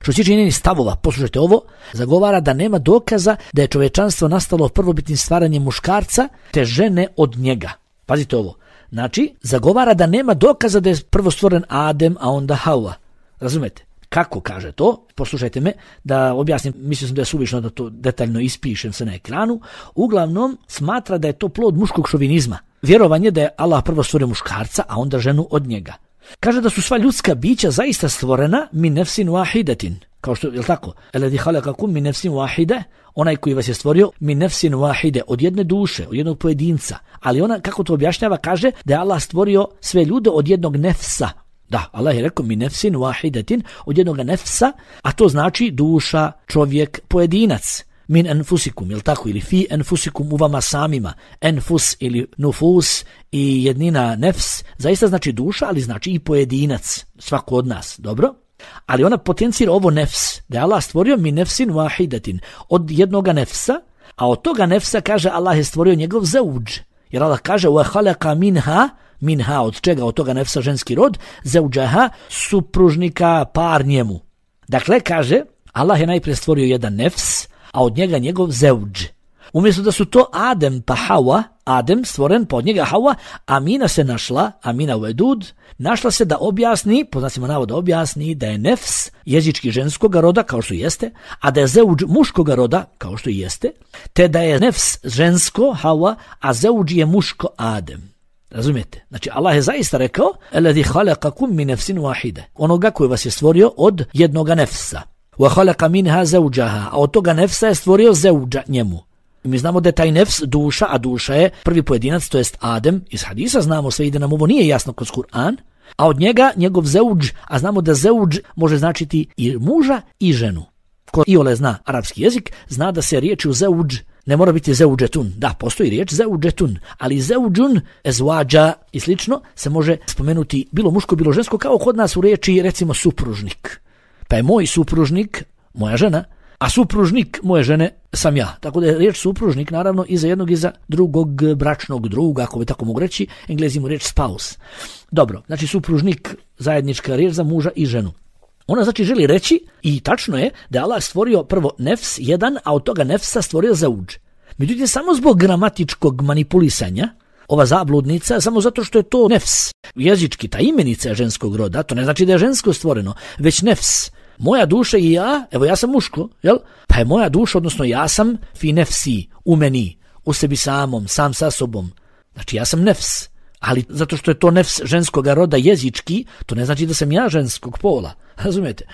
Što se tiče njenih stavova, poslušajte ovo, zagovara da nema dokaza da je čovječanstvo nastalo prvobitnim stvaranjem muškarca te žene od njega. Pazite ovo. Znači, zagovara da nema dokaza da je prvo stvoren Adem, a onda Hava. Razumete? Kako kaže to? Poslušajte me da objasnim, mislio sam da je suvišno da to detaljno ispišem se na ekranu. Uglavnom, smatra da je to plod muškog šovinizma. Vjerovanje da je Allah prvo stvorio muškarca, a onda ženu od njega. Kaže da su sva ljudska bića zaista stvorena min nefsin wahidatin. Kao što, je li tako? Eladi halakakum min nefsin wahide, onaj koji vas je stvorio min nefsin wahide, od jedne duše, od jednog pojedinca. Ali ona, kako to objašnjava, kaže da je Allah stvorio sve ljude od jednog nefsa. Da, Allah je rekao min nefsin wahidatin, od jednog nefsa, a to znači duša, čovjek, pojedinac. Min enfusikum, je li tako? Ili fi enfusikum, u vama samima. Enfus ili nufus i jednina nefs, zaista znači duša, ali znači i pojedinac, svako od nas, dobro? Ali ona potencira ovo nefs, da je Allah stvorio min nefsin wahidatin, od jednoga nefsa, a od toga nefsa, kaže, Allah je stvorio njegov zauđ. Jer Allah kaže, wa khalaqa minha, minha, od čega? Od toga nefsa ženski rod, zauđaha, supružnika, par njemu. Dakle, kaže, Allah je najprije stvorio jedan nefs, a od njega njegov zauđ. Umjesto da su to Adem pa Hawa, Adem stvoren, pa od njega Hawa, Amina se našla, Amina Vedud, našla se da objasni, po znacima navoda objasni, da je nefs jezički ženskog roda, kao što jeste, a da je zauđ muškog roda, kao što jeste, te da je nefs žensko, Hawa, a zauđ je muško, Adem. Razumijete? Znači, Allah je zaista rekao, eladi halakakum min nefsin wahide, onoga koji vas je stvorio od jednoga nefsa. Wa khalaqa minha zawjaha, a od toga nefsa je stvorio zauđa njemu. Mi znamo da je taj nefs duša, a duša je prvi pojedinac, to jest Adem. Iz hadisa znamo sve i da nam ovo nije jasno kroz Kur'an, a od njega njegov zauđ, a znamo da zauđ može značiti i muža i ženu. Ko iole zna arapski jezik, zna da se riječi u zauđ Ne mora biti zeuđetun. Da, postoji riječ zeuđetun, ali zeuđun, ezvađa i slično se može spomenuti bilo muško, bilo žensko, kao kod nas u riječi recimo supružnik. Pa je moj supružnik moja žena, a supružnik moje žene sam ja. Tako da je riječ supružnik naravno i za jednog i za drugog bračnog druga, ako bi tako mogu reći, Englezi mu riječ spouse. Dobro, znači supružnik, zajednička riječ za muža i ženu. Ona znači želi reći, i tačno je, da je Allah stvorio prvo nefs jedan, a od toga nefsa stvorio zauđ. Međutim, samo zbog gramatičkog manipulisanja, ova zabludnica, samo zato što je to nefs, jezički, ta imenica je ženskog roda, to ne znači da je žensko stvoreno, već nefs. Moja duša i ja, evo ja sam muško, jel? Pa je moja duša, odnosno ja sam fi nefsi, u meni, u sebi samom, sam sa sobom. Znači ja sam nefs. Ali zato što je to nefs ženskog roda jezički, to ne znači da sam ja ženskog pola. Razumijete?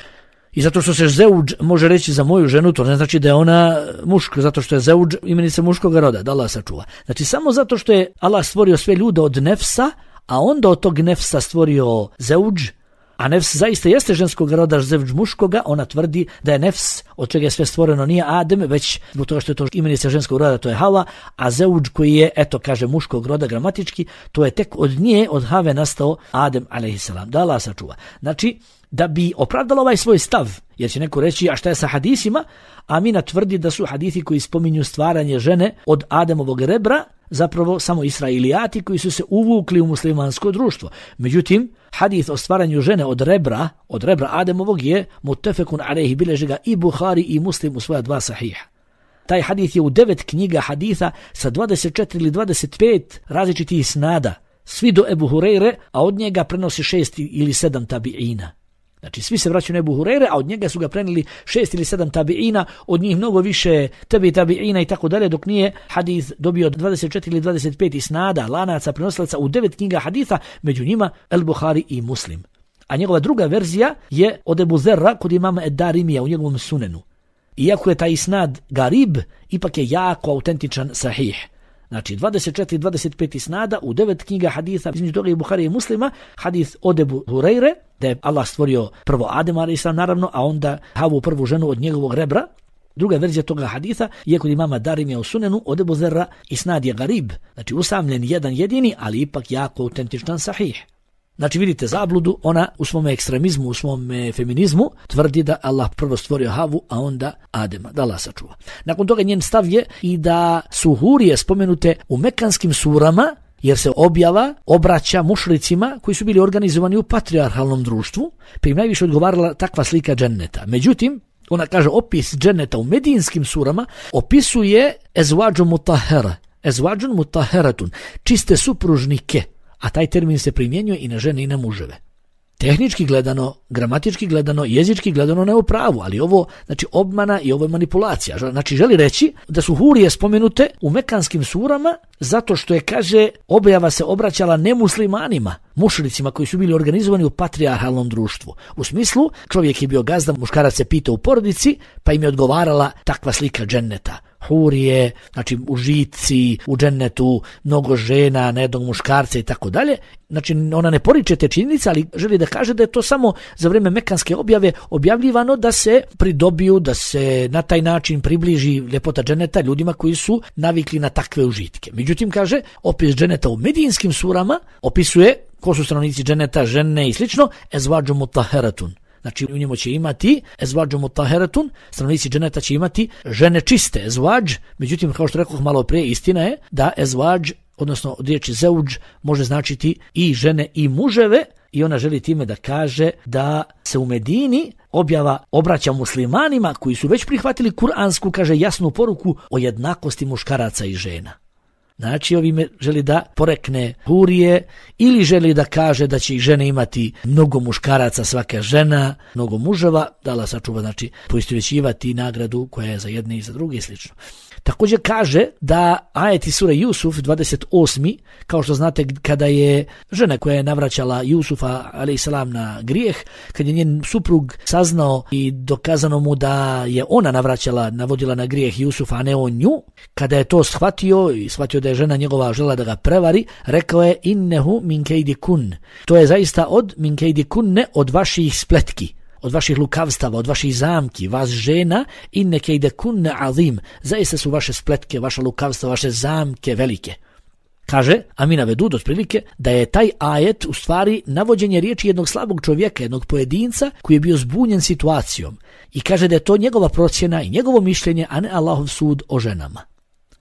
I zato što se zeuđ može reći za moju ženu, to ne znači da je ona muško, zato što je zeuđ imenica muškog roda, da Allah sačuva. Znači samo zato što je Allah stvorio sve ljude od nefsa, a onda od tog nefsa stvorio zeuđ, a nefs zaista jeste ženskog roda, zeuđ muškoga, ona tvrdi da je nefs, od čega je sve stvoreno, nije Adem, već zbog toga što je to imenica ženskog roda, to je Hava, a zeuđ koji je, eto kaže, muškog roda gramatički, to je tek od nje, od Have nastao Adem alejhiselam. Da Allah sačuva. Znači, da bi opravdala ovaj svoj stav, jer će neko reći, a šta je sa hadisima? Amina tvrdi da su hadisi koji spominju stvaranje žene od Ademovog rebra zapravo samo Israilijati koji su se uvukli u muslimansko društvo. Međutim, hadis o stvaranju žene od rebra, od rebra Ademovog je muttefekun alejhi, bileži ga i Buhari i Muslim u svoja dva sahiha. Taj hadis je u devet knjiga hadisa sa dvadeset četiri ili dvadeset pet različitih snada, svi do Ebu Hureyre, a od njega prenosi šest ili sedam tabiina. Znači svi se vraćaju na Ebu Hureyre, a od njega su ga prenijeli šest ili sedam tabiina, od njih mnogo više tebi tabiina i tako dalje, dok nije hadis dobio dvadeset četiri ili dvadeset pet isnada, lanaca, prenosilaca u devet knjiga hadisa, među njima El Buhari i Muslim. A njegova druga verzija je od Ebu Zerra kod imama Ed-Darimija u njegovom sunenu. Iako je taj isnad garib, ipak je jako autentičan sahih. Znači dvadeset četiri dvadeset pet isnada u devet knjiga hadisa, između toga i Buhari i Muslima, hadis od Ebu Hureyre, da je Allah stvorio prvo Adem alejhiselam naravno, a onda Havu, prvu ženu od njegovog rebra. Druga verzija toga hadisa je kod imama Darimija u sunenu od Ebu Zerra, isnad je garib, znači usamljen jedan jedini, ali ipak jako autentičan sahih. Znači vidite zabludu, ona u svom ekstremizmu, u svom feminizmu tvrdi da Allah prvo stvorio Havu, a onda Adema, da Allah sačuva. Nakon toga njen stav je i da su hurije spomenute u mekanskim surama, jer se objava obraća mušricima koji su bili organizovani u patrijarhalnom društvu, pa im najviše odgovarala takva slika dženneta. Međutim, ona kaže opis dženneta u medijinskim surama opisuje ezvađu mutahera, ezvađu mutaheratun, čiste supružnike, a taj termin se primjenjuje i na žene i na muževe. Tehnički gledano, gramatički gledano, jezički gledano ne u pravu, ali ovo znači obmana i ovo je manipulacija. Znači želi reći da su hurije spomenute u mekanskim surama zato što je, kaže, objava se obraćala nemuslimanima, mušricima koji su bili organizovani u patrijarhalnom društvu. U smislu, čovjek je bio gazda, muškarac se pitao u porodici, pa im je odgovarala takva slika dženneta. Hurije, znači užici u džennetu, mnogo žena, na jednog muškarca i tako dalje. Znači ona ne poriče te činjenice, ali želi da kaže da je to samo za vrijeme mekanske objave objavljivano da se pridobiju, da se na taj način približi ljepota dženeta ljudima koji su navikli na takve užitke. Međutim, kaže, opis dženeta u medijinskim surama opisuje ko su stanovnici dženeta, žene i slično, ezvađu mutaheratun. Znači u njemu će imati ezvađu mutaheratun, stanovnici dženeta će imati žene čiste, ezvađ, međutim kao što rekoh malo prije, istina je da ezvađ, odnosno od riječi zeuđ, može značiti i žene i muževe, i ona želi time da kaže da se u Medini objava obraća muslimanima koji su već prihvatili kuransku, kaže, jasnu poruku o jednakosti muškaraca i žena. Znači ovime želi da porekne hurije ili želi da kaže da će i žene imati mnogo muškaraca, svaka žena, mnogo muževa, da Allah sačuva, znači poistovjećivati nagradu koja je za jedne i za druge i slično. Također kaže da ajeti sure Jusuf dvadeset osmi, kao što znate kada je žena koja je navraćala Jusufa alejhiselam na grijeh, kad je njen suprug saznao i dokazano mu da je ona navraćala, navodila na grijeh Jusufa, a ne on nju, kada je to shvatio i shvatio da je žena njegova žela da ga prevari, rekao je innehu min kejdi kun. To je zaista od min kejdi kunne, od vaših spletki, od vaših lukavstava, od vaših zamki, vas žena, inneke ide kunne azim, zaista su vaše spletke, vaša lukavstva, vaše zamke velike. Kaže Amina Vedud otprilike da je taj ajet u stvari navođenje riječi jednog slabog čovjeka, jednog pojedinca koji je bio zbunjen situacijom i kaže da je to njegova procjena i njegovo mišljenje, a ne Allahov sud o ženama.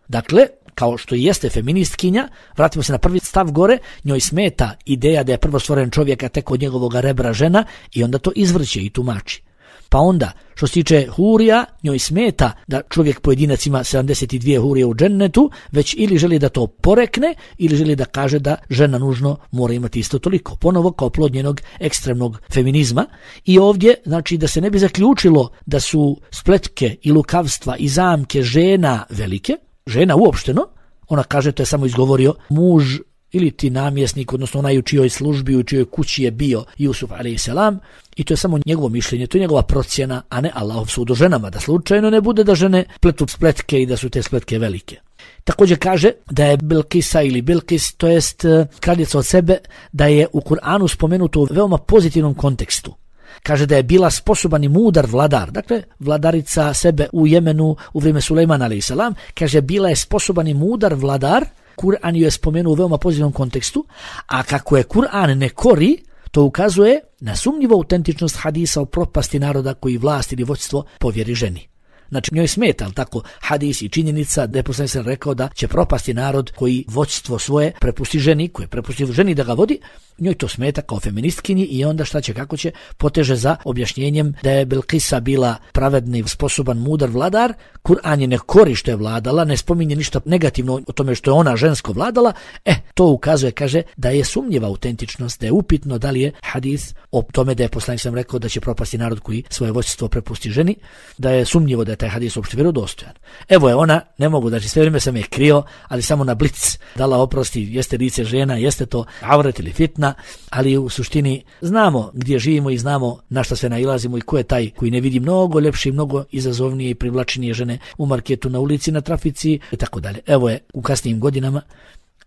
Dakle, kao što i jeste feministkinja, vratimo se na prvi stav gore, njoj smeta ideja da je prvo stvoren čovjek, a tek od njegovog rebra žena i onda to izvrće i tumači. Pa onda, što se tiče hurija, njoj smeta da čovjek pojedinac ima sedamdeset dvije hurije u džennetu, već ili želi da to porekne, ili želi da kaže da žena nužno mora imati isto toliko. Ponovo kao plod njenog ekstremnog feminizma. I ovdje, znači da se ne bi zaključilo da su spletke i lukavstva i zamke žena velike, žena uopšteno, ona kaže to je samo izgovorio muž ili ti namjesnik, odnosno onaj u čijoj službi, u čijoj kući je bio Jusuf alejselam, i to je samo njegovo mišljenje, to je njegova procjena, a ne Allahov sud o ženama, da slučajno ne bude da žene pletu spletke i da su te spletke velike. Također kaže da je Bilkisa ili Bilkis, to jest kraljica od sebe, da je u Kur'anu spomenuto u veoma pozitivnom kontekstu. Kaže da je bila sposoban i mudar vladar, dakle vladarica sebe u Jemenu u vrijeme Sulejmana alejselam, kaže bila je sposoban i mudar vladar. Kur'an ju je spomenuo u veoma pozitivnom kontekstu, a kako je Kur'an ne kori, to ukazuje na sumnjivu autentičnost hadisa o propasti naroda koji vlast ili vođstvo povjeri ženi. Znači njoj smeta, ali tako, hadis i činjenica da je poslanik sallallahu alejhi ve sellem rekao da će propasti narod koji vođstvo svoje prepusti ženi, koji prepusti ženi da ga vodi, njoj to smeta kao feministkinji i onda šta će, kako će, poteže za objašnjenjem da je Bilkisa bila pravedni, sposoban, mudar vladar. Kur'an je ne kori što je vladala, ne spominje ništa negativno o tome što je ona žensko vladala, e, to ukazuje, kaže, da je sumnjiva autentičnost, da je upitno da li je hadis o tome da je poslanik sallallahu alejhi ve sellem rekao da će propasti narod koji svoje vođstvo prepusti ženi, da je sumnjivo da je taj hadis uopšte vjerodostojan. Evo je ona, ne mogu, znači sve vrijeme sam je krio, ali samo na blic dala oprosti, jeste lice žena, jeste to avret ili fitna, ali u suštini znamo gdje živimo i znamo na šta sve nailazimo i ko je taj koji ne vidi mnogo ljepše i mnogo izazovnije i privlačnije žene u marketu, na ulici, na trafici i tako dalje. Evo je u kasnijim godinama,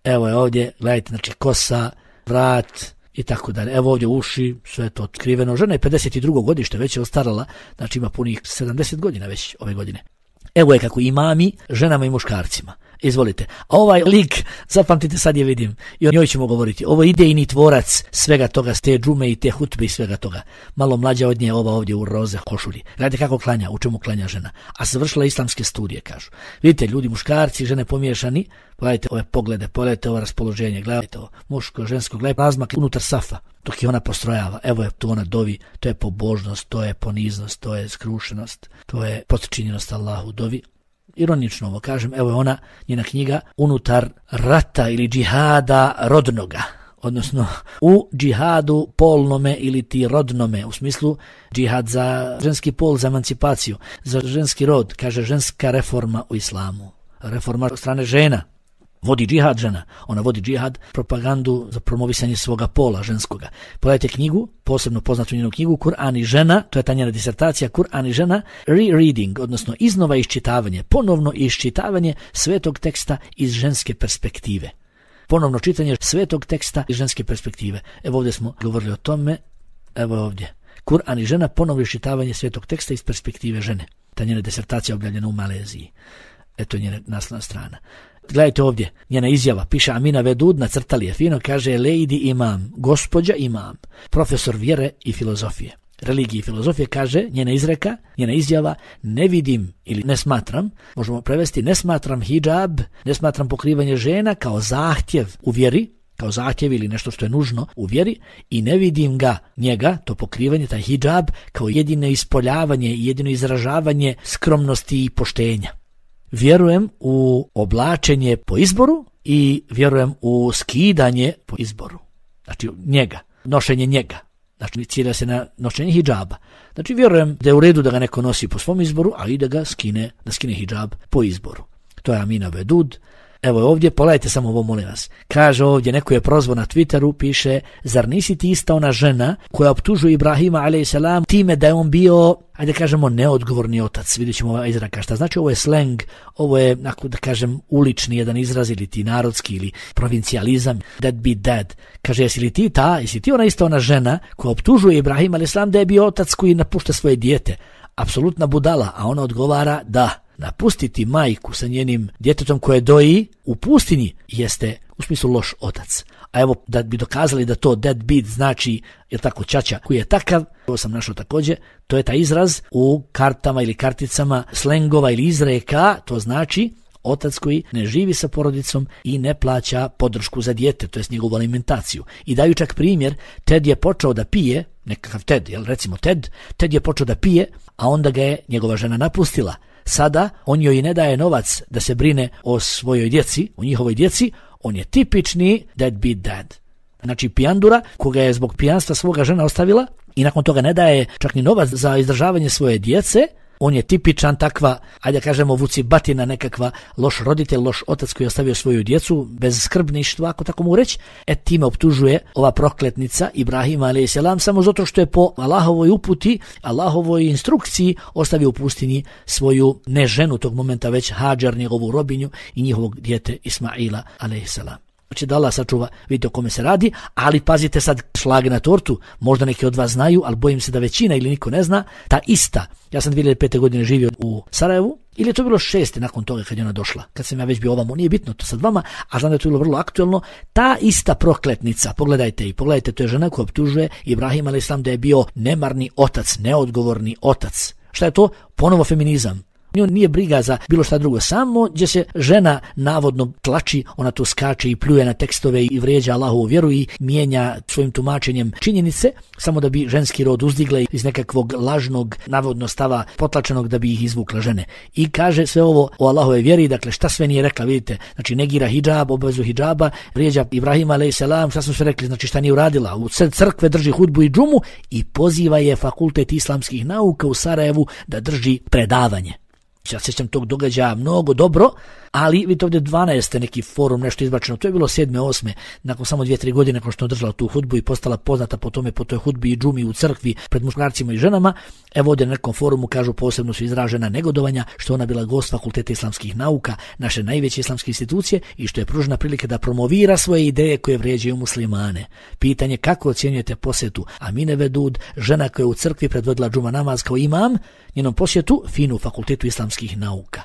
evo je ovdje, gledajte, znači kosa, vrat i tako dalje. Evo ovdje uši, sve to otkriveno. Žena je pedeset drugo godište, već je ostarala, znači ima punih sedamdeset godina već ove godine. Evo je kako imami ženama i muškarcima. Izvolite. A ovaj lik, zapamtite, sad je vidim, i o njoj ćemo govoriti. Ovo idejni tvorac svega toga, te džume i te hutbe i svega toga. Malo mlađa od nje, ova ovdje u roze košulji. Gledajte kako klanja, u čemu klanja žena. A završila islamske studije, kažu. Vidite, ljudi, muškarci, žene pomiješani, gledajte ove poglede, pogledajte ovo raspoloženje, gledajte ovo muško, žensko, gledajte razmak unutar safa, dok je ona postrojava. Evo je tu ona dovi, to je pobožnost, to je poniznost, to je skrušenost, to je potčinjenost Allahu, dovi. Ironično ovo kažem, evo je ona, njena knjiga unutar rata ili džihada rodnoga, odnosno u džihadu polnome ili ti rodnome, u smislu džihad za ženski pol, za emancipaciju, za ženski rod, kaže ženska reforma u islamu, reforma od strane žena. Vodi džihad žena, ona vodi džihad, propagandu za promovisanje svoga pola ženskoga. Pogledajte knjigu, posebno poznatu njenu knjigu, Kur'an i žena, to je ta njena disertacija, Kur'an i žena, re-reading, odnosno iznova iščitavanje, ponovno iščitavanje svetog teksta iz ženske perspektive. Ponovno čitanje svetog teksta iz ženske perspektive. Evo ovdje smo govorili o tome, evo ovdje. Kur'an i žena, ponovno iščitavanje svetog teksta iz perspektive žene. Ta njena disertacija objavljena u Maleziji. Eto njena naslovna strana. Gledajte ovdje, njena izjava, piše Amina Vedud, nacrtali je fino, kaže Lady Imam, gospođa Imam, profesor vjere i filozofije. Religije i filozofije, kaže njena izreka, njena izjava, ne vidim ili ne smatram, možemo prevesti, ne smatram hijab, ne smatram pokrivanje žena kao zahtjev u vjeri, kao zahtjev ili nešto što je nužno u vjeri, i ne vidim ga, njega, to pokrivanje, taj hijab, kao jedino ispoljavanje i jedino izražavanje skromnosti i poštenja. Vjerujem u oblačenje po izboru i vjerujem u skidanje po izboru. Znači njega, nošenje njega. Znači cilja se na nošenje hidžaba. Znači vjerujem da je u redu da ga neko nosi po svom izboru, a i da ga skine, da skine hidžab po izboru. To je Amina Vedud. Evo ovdje, pogledajte samo ovo, molim vas. Kaže ovdje, neko je prozvao na Twitteru, piše, zar nisi ti ista ona žena koja optužuje Ibrahima alejhi time da je on bio, ajde kažemo, neodgovorni otac. Vidjet ćemo ovaj izraka šta znači. Ovo je slang, ovo je, ako da kažem, ulični jedan izraz ili ti narodski ili provincijalizam, that be dad. Kaže, jesi li ti ta, jesi ti ona ista ona žena koja optužuje Ibrahima alejhi da je bio otac koji napušta svoje dijete? Apsolutna budala, a ona odgovara da. Napustiti majku sa njenim djetetom koje doji u pustinji jeste u smislu loš otac. A evo, da bi dokazali da to deadbeat znači, je tako, ćaća koji je takav, to sam našao također, to je taj izraz u kartama ili karticama slengova ili izreka, to znači otac koji ne živi sa porodicom i ne plaća podršku za dijete, to jest njegovu alimentaciju. I daju čak primjer, Ted je počeo da pije, nekakav Ted, jel recimo Ted, Ted je počeo da pije, a onda ga je njegova žena napustila. Sada on joj ne daje novac da se brine o svojoj djeci, o njihovoj djeci, on je tipični deadbeat dad. Znači pijandura koga je zbog pijanstva svoga žena ostavila i nakon toga ne daje čak ni novac za izdržavanje svoje djece, on je tipičan takva, ajde kažemo, vucibatina, nekakva loš roditelj, loš otac koji je ostavio svoju djecu bez skrbništva, ako tako mogu reći. E time optužuje ova prokletnica Ibrahima alejhi selam samo zato što je po Allahovoj uputi, Allahovoj instrukciji ostavio u pustinji svoju ne ženu tog momenta, već Hadžar, njegovu robinju i njihovog dijete Ismaila alejhi selam. Znači da Allah sačuva, vidite o kome se radi, ali pazite sad šlag na tortu, možda neki od vas znaju, ali bojim se da većina ili niko ne zna, ta ista, ja sam dvije hiljade pete. godine živio u Sarajevu, ili je to bilo šeste nakon toga kad je ona došla, kad sam ja već bio ovamo, nije bitno to sad vama, a znam da je to bilo vrlo aktuelno, ta ista prokletnica, pogledajte i pogledajte, to je žena koja optužuje Ibrahima alejhi selam da je bio nemarni otac, neodgovorni otac. Šta je to? Ponovo feminizam. Nju nije briga za bilo šta drugo, samo gdje se žena navodno tlači, ona tu skače i pljuje na tekstove i vrijeđa Allahovu vjeru i mijenja svojim tumačenjem činjenice, samo da bi ženski rod uzdigla iz nekakvog lažnog navodno stava potlačenog da bi ih izvukla žene. I kaže sve ovo o Allahove vjeri, dakle šta sve nije rekla, vidite, znači negira hidžab, obavezu hidžaba, vrijeđa Ibrahima alejhi selam, šta smo sve rekli, znači šta nije uradila, u crkve drži hudbu i džumu i poziva je Fakultet islamskih nauka u Sarajevu da drži predavanje. Ja se sjećam tog događaja mnogo dobro, ali vidite ovdje dvanaeste neki forum, nešto izbačeno, to je bilo sedme, osme, nakon samo dvije, tri godine nakon što je održala tu hudbu i postala poznata po tome, po toj hudbi i džumi u crkvi pred muškarcima i ženama. Evo ovdje na nekom forumu kažu posebno su izražena negodovanja što ona bila gost Fakulteta islamskih nauka, naše najveće islamske institucije i što je pružena prilika da promovira svoje ideje koje vrijeđaju muslimane. Pitanje kako ocjenjujete posjetu Amine Vedud, žena koja je u crkvi predvodila džuma namaz kao imam, njenom posjetu finu Fakultetu islamskih nauka.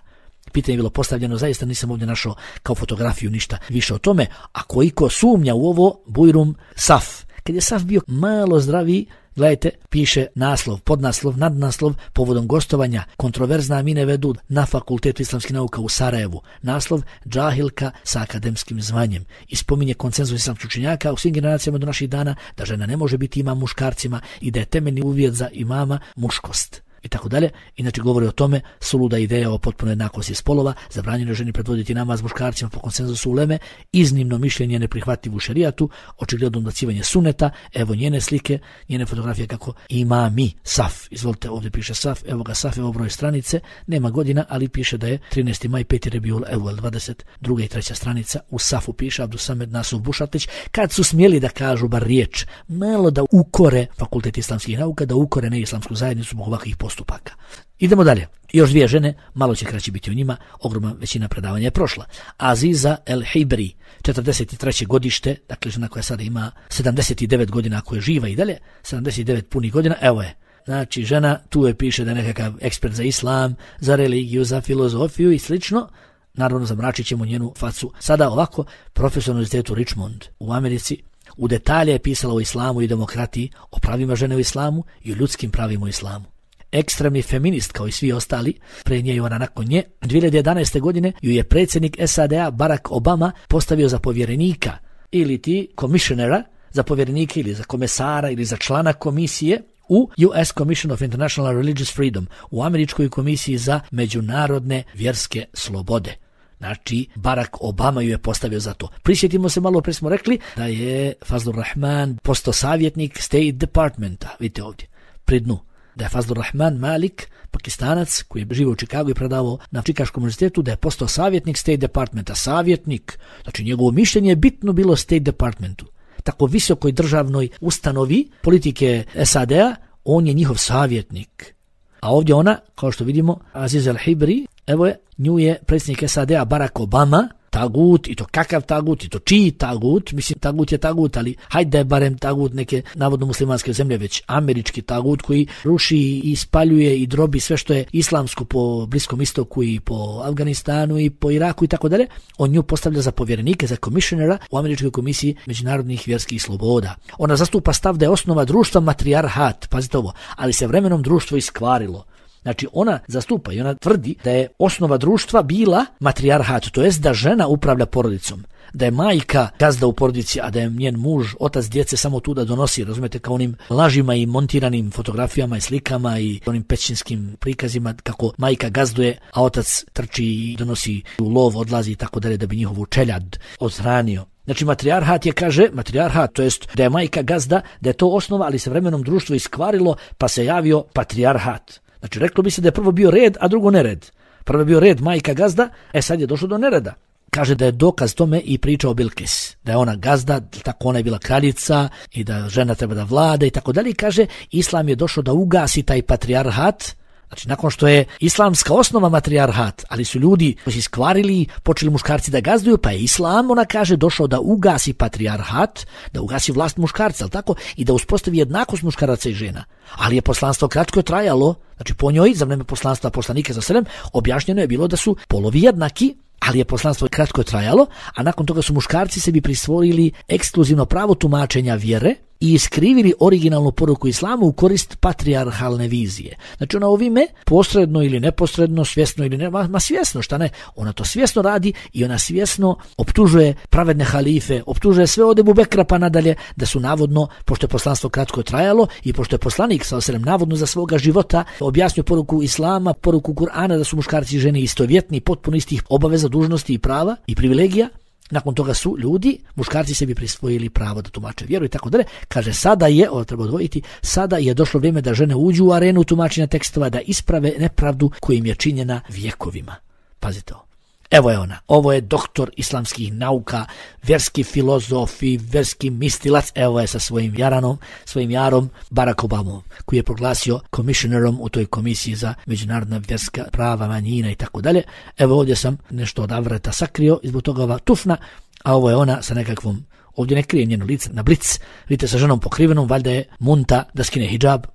Pitanje je bilo postavljeno, zaista nisam ovdje našao kao fotografiju ništa više o tome, a koliko sumnja u ovo, Bujrum Saf. Kad je Saf bio malo zdraviji, gledajte, piše naslov, podnaslov, nadnaslov povodom gostovanja kontroverzna Amine Vedud na Fakultetu islamskih nauka u Sarajevu. Naslov džahilka sa akademskim zvanjem. I spominje konsenzus islamskih učenjaka u svim generacijama do naših dana da žena ne može biti imam muškarcima i da je temeljni uvjet za imama muškost. I tako dalje. Inače govori o tome suluda ideja o potpunoj jednakosti spolova, zabranjeno ženi predvoditi namaz muškarcima po konsenzusu uleme, iznimno mišljenje neprihvatljivo u šerijatu, očigledno odbacivanje suneta, evo njene slike, njene fotografije kako imami Saf. Izvolite, ovdje piše Saf, evo ga Saf, evo broj stranice, nema godina, ali piše da je trinaesti maj, peti Rebiul Evvel, dvadeset druga i treća stranica, u Safu piše Abdusamed Nasuf Bušatlić, kad su smjeli da kažu bar riječ, malo da ukore Fakultet islamskih nauka, da ukore neislamsku zajednicu zbog ovakvih postupaka. Idemo dalje. Još dvije žene, malo će kraće biti o njima, ogromna većina predavanja je prošla. Aziza El Hibri, četrdeset treće godište, dakle žena koja sada ima sedamdeset devet godina, ako je živa i dalje, sedamdeset devet punih godina, evo je. Znači žena, tu je piše da je nekakav ekspert za islam, za religiju, za filozofiju i slično. Naravno zamračit ćemo njenu facu. Sada ovako, profesor na Univerzitetu Richmond u Americi, u detalje je pisala o islamu i demokratiji, o pravima žene u islamu i o ljudskim pravima u islamu. Ekstremni feminist kao i svi ostali, pre nje i ona nakon nje, dvije hiljade jedanaeste. godine ju je predsjednik S A D A Barack Obama postavio za povjerenika ili ti komisionera, za povjerenika ili za komesara ili za člana komisije u U S Commission of International Religious Freedom, u Američkoj komisiji za međunarodne vjerske slobode. Znači, Barack Obama ju je postavio za to. Prisjetimo se malo, pre smo rekli da je Fazlur Rahman postao savjetnik State Departmenta, vidite ovdje, pri dnu. da je Fazlur Rahman Malik, Pakistanac koji je živio u Čikagu i predavao na Čikaškom univerzitetu, da je postao savjetnik State Departmenta. Savjetnik, znači njegovo mišljenje je bitno bilo State Departmentu. Tako visokoj državnoj ustanovi politike S A D-a, on je njihov savjetnik. A ovdje ona, kao što vidimo, Aziz al-Hibri, evo je, nju je predsjednik S A D-a Barack Obama, tagut, i to kakav tagut, i to čiji tagut, mislim tagut je tagut, ali hajde da je barem tagut neke navodno muslimanske zemlje, već američki tagut koji ruši i spaljuje i drobi sve što je islamsko po Bliskom istoku i po Afganistanu i po Iraku i tako dalje. On nju postavlja za povjerenike, za komisionera u Američkoj komisiji međunarodnih vjerskih sloboda. Ona zastupa stav da je osnova društva matrijarhat, pazite ovo, ali se vremenom društvo iskvarilo. Znači ona zastupa i ona tvrdi da je osnova društva bila matrijarhat, to jest da žena upravlja porodicom, da je majka gazda u porodici, a da je njen muž, otac djece samo tu da donosi, razumete, kao onim lažima i montiranim fotografijama i slikama i onim pećinskim prikazima kako majka gazduje, a otac trči i donosi u lov, odlazi i tako dalje da bi njihovu čeljad odhranio. Znači matrijarhat je, kaže, matrijarhat, to jest da je majka gazda, da je to osnova, ali se vremenom društvo iskvarilo pa se javio patrijarhat. Znači, reklo bi se da je prvo bio red, a drugo nered. Prvo je bio red majka gazda, e sad je došlo do nereda. Kaže da je dokaz tome i priča o Bilkis, da je ona gazda, tako ona je bila kraljica i da žena treba da vlada i tako dalje. Kaže, islam je došao da ugasi taj patrijarhat. Znači, nakon što je islamska osnova matrijarhat, ali su ljudi koji su iskvarili, počeli muškarci da gazduju, pa je islam, ona kaže, došao da ugasi patrijarhat, da ugasi vlast muškarca, ali tako, i da uspostavi jednakost muškaraca i žena. Ali je poslanstvo kratko trajalo, znači po njoj, za vreme poslanstva poslanika za selem, objašnjeno je bilo da su polovi jednaki, ali je poslanstvo kratko trajalo, a nakon toga su muškarci sebi prisvojili ekskluzivno pravo tumačenja vjere i iskrivili originalnu poruku islamu u korist patrijarhalne vizije. Znači ona ovime, posredno ili neposredno, svjesno ili ne, ma, ma svjesno, šta ne, ona to svjesno radi i ona svjesno optužuje pravedne halife, optužuje sve od Ebu Bekra pa nadalje, da su navodno, pošto je poslanstvo kratko trajalo i pošto je poslanik sallallahu alejhi ve sellem navodno za svoga života objasnio poruku islama, poruku Kur'ana, da su muškarci i žene istovjetni, potpuno istih obaveza, dužnosti i prava i privilegija. Nakon toga su ljudi, muškarci sebi prisvojili pravo da tumače vjeru i tako dalje. Kaže, sada je, ovo treba odvojiti, sada je došlo vrijeme da žene uđu u arenu tumačenja tekstova, da isprave nepravdu koja im je činjena vjekovima. Pazite ovo. Evo je ona, ovo je doktor islamskih nauka, vjerski filozof i vjerski mistilac, evo je sa svojim jaranom, svojim jarom Barack Obamom, koji je proglasio komisionerom u toj komisiji za međunarodna vjerska prava, manjina i tako dalje. Evo ovdje sam nešto od avreta sakrio, izbog toga ova tufna, a ovo je ona sa nekakvom, ovdje ne krije njeno lice, na blic, vidite sa ženom pokrivenom, valjda je munta da skine hidžab.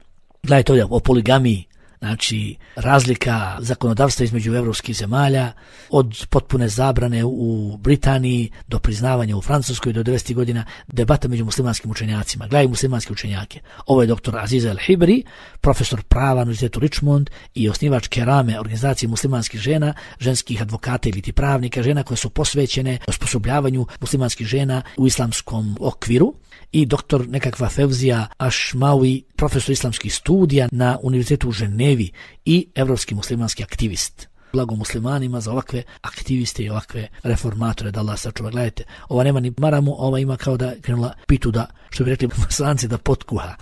Gledajte ovdje o poligamiji. Znači, razlika zakonodavstva između evropskih zemalja, od potpune zabrane u Britaniji do priznavanja u Francuskoj do devedesetih godina, debata među muslimanskim učenjacima. Gledaj muslimanske učenjake. Ovo je doktor Aziz al-Hibri, profesor prava na Univerzitetu Richmond i osnivač Kerame, organizacije muslimanskih žena, ženskih advokata ili ti pravnika, žena koje su posvećene osposobljavanju muslimanskih žena u islamskom okviru. I doktor nekakva Fevzija Ašmawi, profesor islamskih studija na Univerzitetu u Ženevi i evropski muslimanski aktivist. Blago muslimanima za ovakve aktiviste i ovakve reformatore, da Allah sačuva. Gledajte, ova nema ni maramu, ova ima kao da krenula pitu da, što bi rekli muslimanci, da potkuha.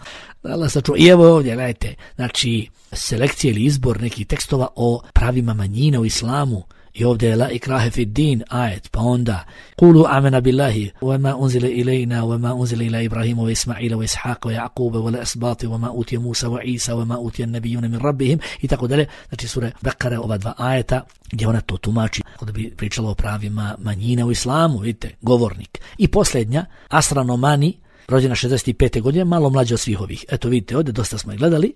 Da Allah sačuva. I evo ovdje, gledajte, znači selekcija ili izbor nekih tekstova o pravima manjina u islamu. I ovdje je la ikrahe fi din ajet, pa onda kulu amena billahi wa ma unzile ilajna wa ma unzile ila Ibrahimu wa Ismaila wa Ishaqa wa Jaquba wa la asbati wa ma utije Musa wa Isa wa ma utije nabijune min rabbihim i tako dalje. Znači sure Bekare, ova dva ajeta gdje ona to tumači, da bi pričala o pravima manjina u islamu, vidite, govornik. I posljednja, Asra Nomani, rođena šezdeset pete godine, malo mlađa od svih ovih. Eto vidite, ovdje dosta smo je gledali.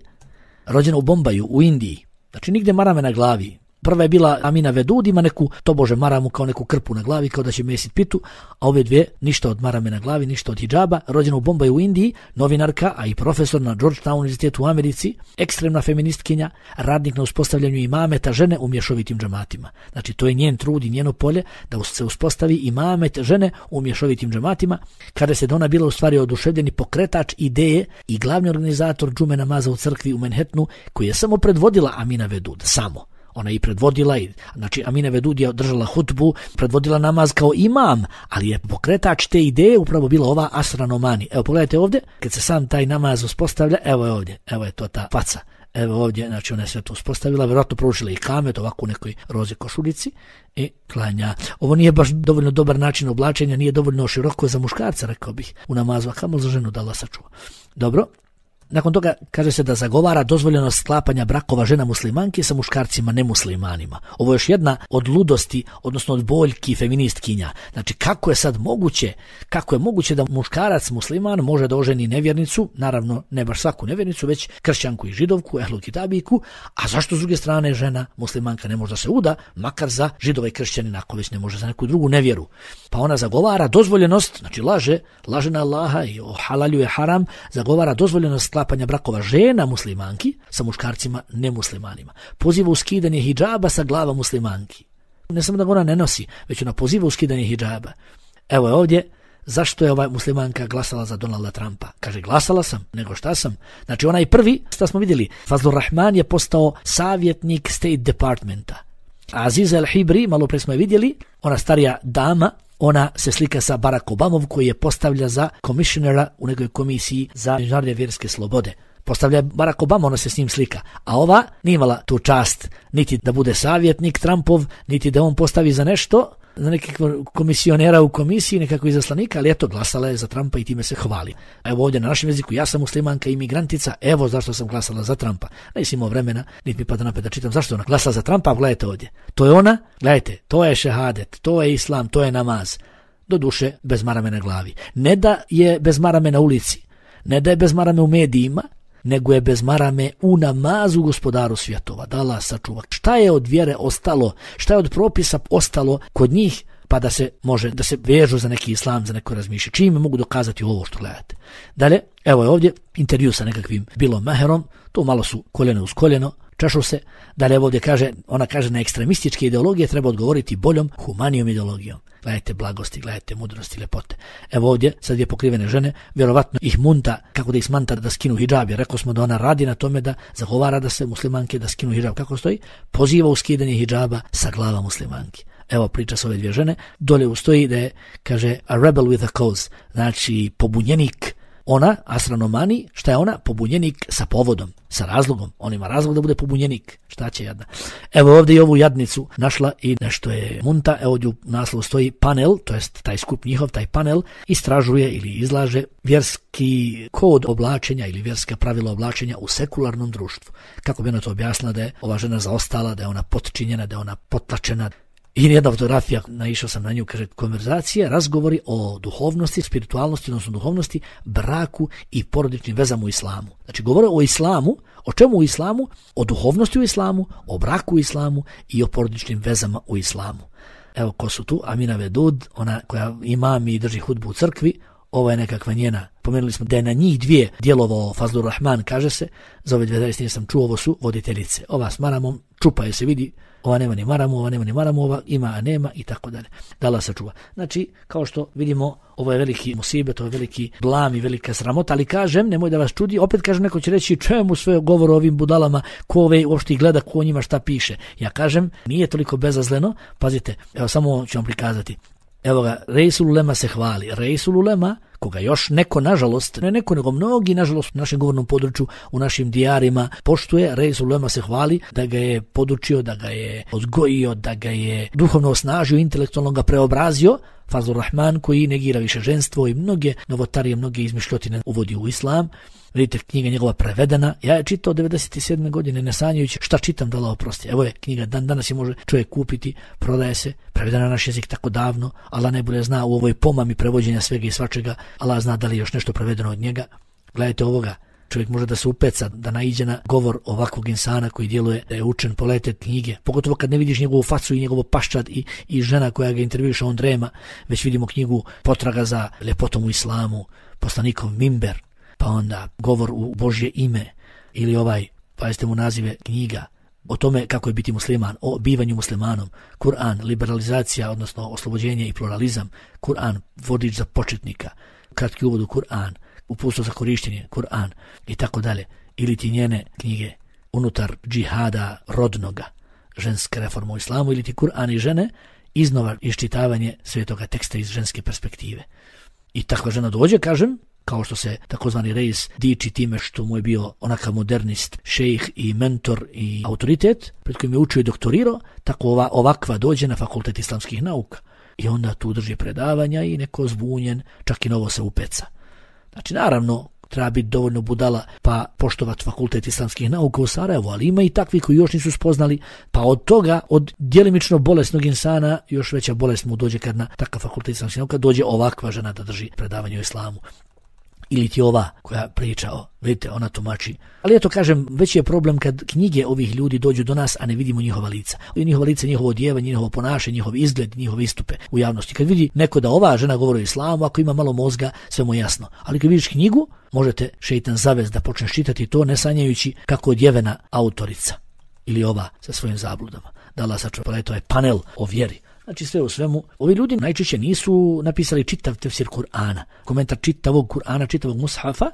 Rođena u Bombaju, u Indiji. Znači nigde marame na glavi. Prva je bila Amina Vedud, ima neku, tobože maramu kao neku krpu na glavi, kao da će mesit pitu, a ove dvije, ništa od marame na glavi, ništa od hidžaba, rođena u Bombaju u Indiji, novinarka, a i profesor na Georgetown univerzitetu u Americi, ekstremna feministkinja, radnik na uspostavljanju imameta žene u mješovitim džematima. Znači, to je njen trud i njeno polje da se uspostavi imamet žene u mješovitim džematima, kada se ona bila u stvari oduševljeni pokretač ideje i glavni organizator džume namaza u crkvi u Manhattanu, koji je samo predvodila Amina Vedud, samo. Ona je i predvodila, i, znači Amina Vedud je održala hutbu, predvodila namaz kao imam, ali je pokretač te ideje upravo bila ova Asra Nomani. Evo pogledajte ovdje, kad se sam taj namaz uspostavlja, evo je ovdje, evo je to ta faca. Evo ovdje, znači ona je sve to uspostavila, vjerojatno proučila i kamet ovako u nekoj roze košuljici i klanja. Ovo nije baš dovoljno dobar način oblačenja, nije dovoljno široko za muškarca, rekao bih, u namazu, a kamo za ženu da Allah sačuva. Dobro. Nakon toga kaže se da zagovara dozvoljenost sklapanja brakova žena muslimanki sa muškarcima nemuslimanima. Ovo je još jedna od ludosti, odnosno od boljki feministkinja. Znači kako je sad moguće, kako je moguće da muškarac musliman može da oženi nevjernicu, naravno ne baš svaku nevjernicu, već kršćanku i židovku, ehlu kitabijku, a zašto s druge strane žena muslimanka ne može da se uda, makar za židova i kršćanina, ako već ne može za neku drugu nevjeru. Pa ona zagovara dozvoljenost, znači laže, laže na Allaha i ohalaljuje haram, zagovara dozvoljenost sklapanja brakova žena muslimanki sa muškarcima nemuslimanima. Poziva u skidanje hidžaba sa glava muslimanki. Ne samo da ga ona ne nosi, već ona poziva u skidanje hidžaba. Evo je ovdje, zašto je ova muslimanka glasala za Donalda Trumpa? Kaže, glasala sam, nego šta sam? Znači onaj prvi, šta smo vidjeli, Fazlur Rahman je postao savjetnik State Departmenta. Aziza El-Hibri, malo pre smo je vidjeli, ona starija dama, ona se slika sa Barack Obamom koji je postavlja za komisionera u nekoj komisiji za međunarodne vjerske slobode. Postavlja Barack Obama, ona se s njim slika. A ova nije imala tu čast niti da bude savjetnik Trumpov, niti da on postavi za nešto, za nekakvog komisionera u komisiji, nekako izaslanika, ali eto, glasala je za Trumpa i time se hvali. Evo ovdje na našem jeziku, ja sam muslimanka i imigrantica, evo zašto sam glasala za Trumpa. Nisam imao vremena, niti mi pada napet da čitam zašto ona glasala za Trumpa, gledajte ovdje. To je ona, gledajte, to je šehadet, to je islam, to je namaz. Do duše, bez marame na glavi. Ne da je bez marame na ulici, ne da je bez marame u medijima, nego je bez marame u namazu Gospodaru svjetova, da Allah sačuva. Šta je od vjere ostalo, šta je od propisa ostalo kod njih, pa da se može, da se vežu za neki islam, za neko razmišljanje. Čime mogu dokazati ovo što gledate. Dalje, evo je ovdje intervju sa nekakvim Bilom Maherom, tu malo su koljeno uz koljeno, češu se. Dalje ovdje kaže, ona kaže na ekstremističke ideologije treba odgovoriti boljom, humanijom ideologijom. Gledajte blagosti, gledajte mudrosti, lepote. Evo ovdje, sad je pokrivene žene, vjerovatno ih munta, kako da ih smanta da skinu hidžab, jer rekao smo da ona radi na tome da zagovara da se muslimanke da skinu hidžab. Kako stoji? Poziva u skidanje hidžaba sa glava muslimanki. Evo priča s ove dvije žene, dole ustoji da je, kaže, a rebel with a cause, znači pobunjenik. Ona, astronomani, šta je ona? Pobunjenik sa povodom, sa razlogom. On ima razlog da bude pobunjenik. Šta će jadna? Evo ovdje i ovu jadnicu našla i nešto je munta. Evo ovdje u naslovu stoji panel, to jest taj skup njihov, taj panel, istražuje ili izlaže vjerski kod oblačenja ili vjerska pravila oblačenja u sekularnom društvu. Kako bi ona to objasnila da je ova žena zaostala, da je ona potčinjena, da je ona potlačena. I jedna fotografija, naišao sam na nju, kaže, konverzacija, razgovori o duhovnosti, spiritualnosti, odnosno duhovnosti, braku i porodičnim vezama u islamu. Znači, govore o islamu, o čemu u islamu? O duhovnosti u islamu, o braku u islamu i o porodičnim vezama u islamu. Evo ko su tu, Amina Vedud, ona koja imam i drži hudbu u crkvi, ovo je nekakva njena. Pomenuli smo da je na njih dvije djelovao Fazlur Rahman, kaže se, za ove dvije zaistine sam čuo, ovo su voditeljice. Ova s maramom, čupa je se vidi, ova nema ni maramu, ova nema ni maramu, ova ima, a nema i tako dalje. Da Allah sačuva. Znači, kao što vidimo, ovo je veliki musibet, ovo je veliki blam i velika sramota, ali kažem, nemoj da vas čudi, opet kažem, neko će reći čemu sve govor o ovim budalama, ko ove uopšte gleda, ko o njima šta piše. Ja kažem, nije toliko bezazleno, pazite, evo samo ću vam prikazati. Evo ga, Reisul Ulema se hvali. Reisul Ulema, koga još neko, nažalost, ne neko, nego mnogi, nažalost, u našem govornom području, u našim dijarima, poštuje, Reisul Ulema se hvali da ga je podučio, da ga je odgojio, da ga je duhovno osnažio, intelektualno ga preobrazio, Fazlur Rahman, koji negira više ženstvo i mnoge novotarije, mnoge izmišljotine uvodi u islam. Vidite, knjiga njegova prevedena. Ja je čitao devedeset sedme godine, ne sanjajući šta čitam, da Allah oprosti. Evo je knjiga, dan danas je može čovjek kupiti, prodaje se, prevedena na naš jezik tako davno. Allah najbolje zna u ovoj pomami prevođenja svega i svačega. Allah zna da li je još nešto prevedeno od njega. Gledajte ovoga. Čovjek može da se upeca, da naiđe na govor ovakvog insana koji djeluje da je učen, polete knjige. Pogotovo kad ne vidiš njegovu facu i njegovo paščad i, i žena koja ga intervjuša, on drema. Već vidimo knjigu Potraga za ljepotom u islamu, poslanikov mimber, pa onda govor u Božje ime ili ovaj, pazite mu nazive knjiga, o tome kako je biti musliman, o bivanju muslimanom, Kur'an, liberalizacija, odnosno oslobođenje i pluralizam, Kur'an, vodič za početnika, kratki uvod u Kur'an, uputstvo za korištenje, Kur'an i tako dalje, ili ti njene knjige unutar džihada rodnoga, ženske reforme u islamu, ili ti Kur'an i žene, iznova iščitavanje svetoga teksta iz ženske perspektive. I takva žena dođe, kažem, kao što se takozvani Reis diči time što mu je bio onakav modernist, šejh i mentor i autoritet, pred kojim je učio i doktorirao, tako ova, ovakva dođe na Fakultet islamskih nauka. I onda tu drži predavanja i neko zbunjen, čak i novo se upeca. Znači, naravno, treba biti dovoljno budala pa poštovati Fakultet islamskih nauka u Sarajevu, ali ima i takvi koji još nisu spoznali, pa od toga, od djelimično bolesnog insana, još veća bolest mu dođe kad na takav Fakultet islamskih nauka dođe ovakva žena da drži predavanje o islamu. Ili ti ova koja priča o, vidite, ona tumači. Ali eto kažem, već je problem kad knjige ovih ljudi dođu do nas, a ne vidimo njihova lica. Njihova lica, njihovo odjevanje, njihovo ponašanje, njihov izgled, njihove istupe u javnosti. Kad vidi neko da ova žena govori o islamu, ako ima malo mozga, sve mu je jasno. Ali kad vidiš knjigu, možete šeitan zavest da počneš čitati to, ne sanjajući kako odjevena autorica. Ili ova sa svojim zabludama. Da Allah sačuva, to je panel o vjeri. Znači sve u svemu, ovi ljudi najčešće nisu napisali čitav tefsir Kur'ana, komentar čitavog Kur'ana, čitavog mushafa,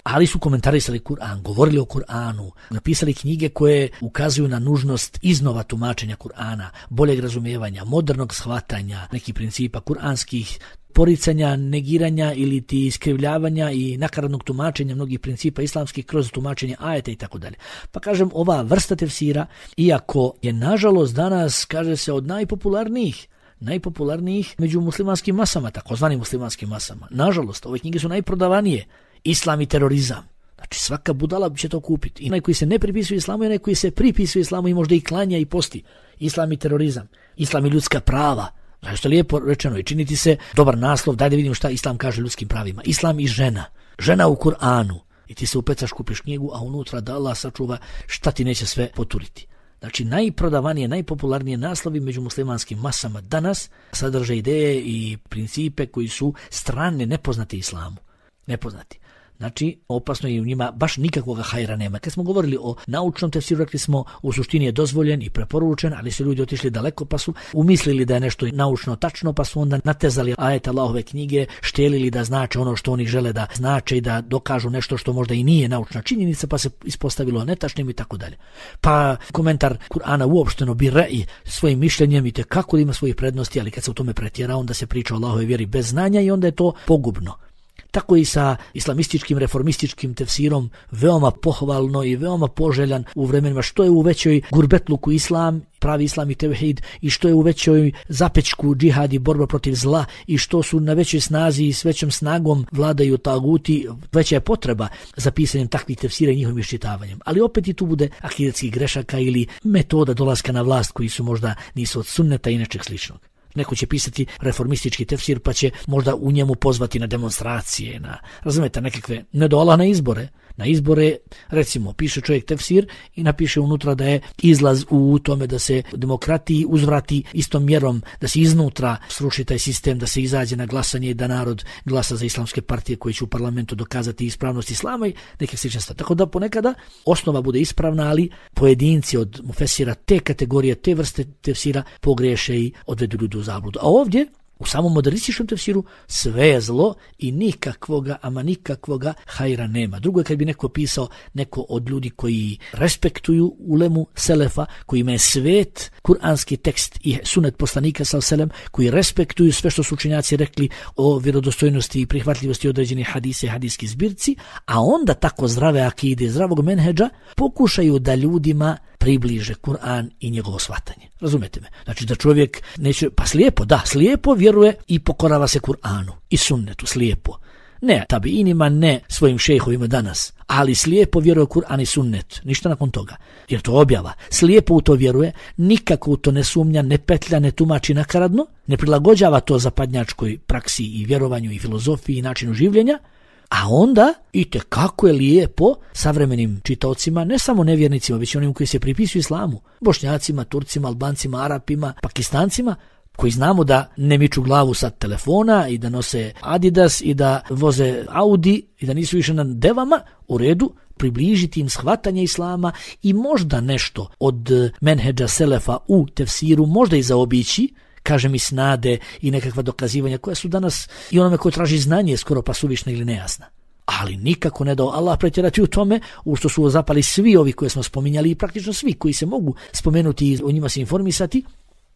ali su komentarisali Kur'an, govorili o Kur'anu, napisali knjige koje ukazuju na nužnost iznova tumačenja Kur'ana, boljeg razumijevanja, modernog shvatanja nekih principa kur'anskih, poricanja, negiranja ili ti iskrivljavanja i nakaradnog tumačenja mnogih principa islamskih kroz tumačenje ajeta i tako dalje. Pa kažem, ova vrsta tefsira, iako je nažalost danas, kaže se, od najpopularnijih, najpopularnijih među muslimanskim masama, takozvanim muslimanskim masama. Nažalost, ove knjige su najprodavanije. Islam i terorizam. Znači svaka budala će to kupiti. I onaj koji se ne pripisuje islamu i onaj koji se pripisuje islamu i možda i klanja i posti. Islam i terorizam. Islam i ljudska prava. Znači što je lijepo rečeno i činiti se dobar naslov, daj da vidimo šta Islam kaže ljudskim pravima. Islam i žena. Žena u Kur'anu. I ti se upecaš, kupiš knjigu, a unutra da Allah sačuva šta ti neće sve poturiti. Znači najprodavanije, najpopularnije naslovi među muslimanskim masama danas sadrže ideje i principe koji su strane, nepoznate islamu. Nepoznati. Znači, opasno je u njima, baš nikakvog hajra nema. Kad smo govorili o naučnom tefsiru, rekli smo u suštini je dozvoljen i preporučen, ali su ljudi otišli daleko pa su umislili da je nešto naučno tačno, pa su onda natezali ajete Allahove knjige, štelili da znače ono što oni žele da znače i da dokažu nešto što možda i nije naučna činjenica, pa se ispostavilo netačnim i tako dalje. Pa komentar Kur'ana uopšteno bi re'i svojim mišljenjem i te kako ima svojih prednosti, ali kad se u tome pretjera, onda se priča o Allahove vjeri bez znanja i onda je to pogubno. Tako i sa islamističkim, reformističkim tefsirom, veoma pohvalno i veoma poželjan u vremenima što je u većoj gurbetluku islam, pravi islam i tevhid, i što je u većoj zapečku džihad i borba protiv zla, i što su na većoj snazi i s većom snagom vladaju taguti, veća je potreba za pisanjem takvih tefsira i njihovim iščitavanjem. Ali opet i tu bude akidetskih grešaka ili metoda dolaska na vlast koji su možda nisu od sunneta i nečeg sličnog. Neko će pisati reformistički tefsir pa će možda u njemu pozvati na demonstracije, na, razumete, nekakve, ne dola na izbore. Na izbore, recimo, piše čovjek tefsir i napiše unutra da je izlaz u tome da se demokratiji uzvrati istom mjerom, da se iznutra sruši taj sistem, da se izađe na glasanje i da narod glasa za islamske partije koje će u parlamentu dokazati ispravnost islama i neke slične stvari. Tako da ponekada osnova bude ispravna, ali pojedinci od mufesira te kategorije, te vrste tefsira pogriješe i odvedu ljudi u zabludu. A ovdje, u samom modernističkom tefsiru, sve je zlo i nikakvoga, ama nikakvoga hajra nema. Drugo je kad bi neko pisao, neko od ljudi koji respektuju ulemu selefa, kojima je svet, kuranski tekst i sunet poslanika sallallahu alejhi ve sellem, koji respektuju sve što su učenjaci rekli o vjerodostojnosti i prihvatljivosti određenih hadisa i hadijskih zbirci, a onda tako zdrave akide, zdravog menhedža, pokušaju da ljudima približe Kur'an i njegovo shvatanje. Razumete me? Znači da čovjek neće, pa slijepo, da, slijepo vjeruje i pokorava se Kur'anu i sunnetu, slijepo. Ne tabiinima, ne svojim šejhovima danas, ali slijepo vjeruje Kur'an i sunnet, ništa nakon toga, jer to objava. Slijepo u to vjeruje, nikako u to ne sumnja, ne petlja, ne tumači nakaradno, ne prilagođava to zapadnjačkoj praksi i vjerovanju i filozofiji i načinu življenja, a onda, i te kako je lijepo savremenim čitaocima, ne samo nevjernicima, već onim koji se pripisuju islamu, Bošnjacima, Turcima, Albancima, Arapima, Pakistancima, koji znamo da ne miču glavu sa telefona i da nose Adidas i da voze Audi i da nisu više na devama, u redu, približiti im shvatanje islama i možda nešto od menhedža selefa u tefsiru, možda i zaobići, kažem i snade i nekakva dokazivanja koja su danas i onome ko traži znanje skoro pa suvišna ili nejasna. Ali nikako ne dao Allah pretjerati u tome u što su zapali svi ovi koje smo spominjali i praktično svi koji se mogu spomenuti i o njima se informisati,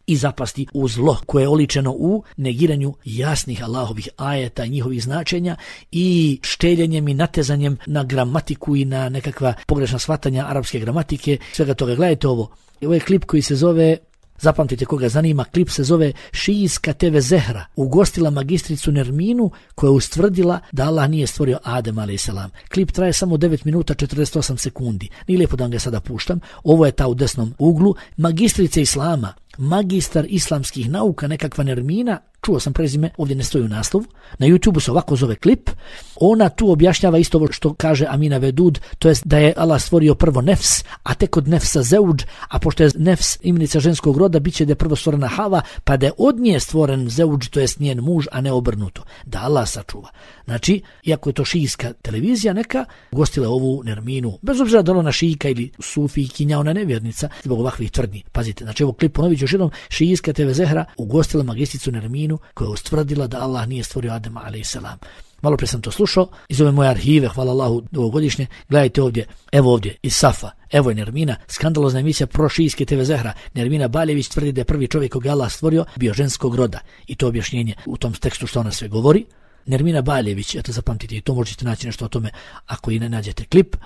i zapasti u zlo koje je oličeno u negiranju jasnih Allahovih ajeta i njihovih značenja i šteljenjem i natezanjem na gramatiku i na nekakva pogrešna shvatanja arapske gramatike, svega toga. Gledajte ovo. Ovo je klip koji se zove, zapamtite koga zanima, klip se zove Šijska te ve Zehra ugostila magistricu Nerminu koja je ustvrdila da Allah nije stvorio Adem alejhi selam. Klip traje samo devet minuta četrdeset osam sekundi. Nije lijepo da vam ga sada puštam. Ovo je ta u desnom uglu. Magistrica Islama, magistar islamskih nauka, nekakva Nermina, čuo sam prezime, ovdje ne stoji u naslovu, na YouTubeu se ovako zove klip, ona tu objašnjava isto ovo što kaže Amina Vedud, to jest da je Allah stvorio prvo nefs, a tek od nefsa zeuđ, a pošto je nefs imenica ženskog roda, bit će da je prvo stvorena Hava, pa da je od nje stvoren zeuđ, to jest njen muž, a ne obrnuto. Da Allah sačuva. Znači, iako je to šijska televizija neka, gostila ovu Nerminu, bez obzira da ona šijka ili sufijkinja, ona nevjernica, zbog ovakvih tvrdnji. Pazite, znači ovo klip ponovit ću još jednom, Šijska te ve Zehra ugostila magistricu Nerminu koja je ustvrdila da Allah nije stvorio Adema alejhi selam. Malo pre sam to slušao, iz ove moje arhive, hvala Allahu, ovogodišnje, gledajte ovdje, evo ovdje, iz Safa, evo je Nermina, skandalozna emisija pro Šijske te ve Zehra. Nermina Baljević tvrdi da je prvi čovjek koga Allah stvorio bio ženskog roda i to objašnjenje u tom tekstu što ona sve govori. Nermina Baljević, eto zapamtite i to možete naći nešto o tome ako i ne nađete klip.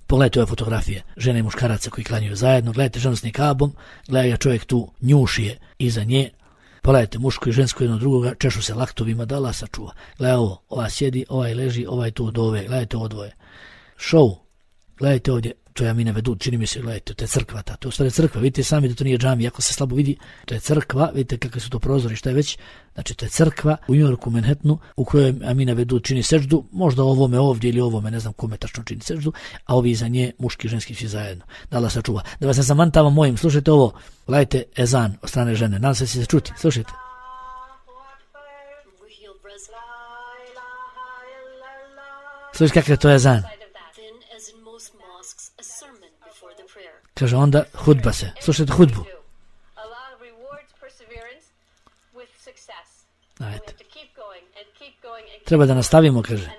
Pogledajte ove fotografije žene i muškaraca koji klanjaju zajedno, gledajte ženu s nikabom, gledajte čovjek tu njušije iza nje, pogledajte muško i žensko jedno drugoga, češu se laktovima, da Allah sačuva. Gledajte ovo, ova sjedi, ovaj leži, ovaj tu od ove, gledajte ovo dvoje. Show, gledajte ovdje, to je Amina Vedud, čini mi se, gledajte, to je crkva ta, to je u stvari crkva, vidite sami da to nije džami, ako se slabo vidi, to je crkva, vidite kakve su to prozori, šta je već, znači to je crkva u New Yorku, Manhattanu, u kojoj Amina Vedud čini seždu, možda ovome ovdje ili ovome, ne znam kome tačno čini seždu, a ovi iza nje, muški i ženski svi zajedno. Da Allah sačuva. Da vas ne zamantavam mojim, slušajte ovo, gledajte ezan od strane žene, nadam se da će se čuti, slušajte. Slušajte kakav je to ezan. Kaže onda hudba se. Slušajte hudbu. Ajde. Treba da nastavimo, kaže.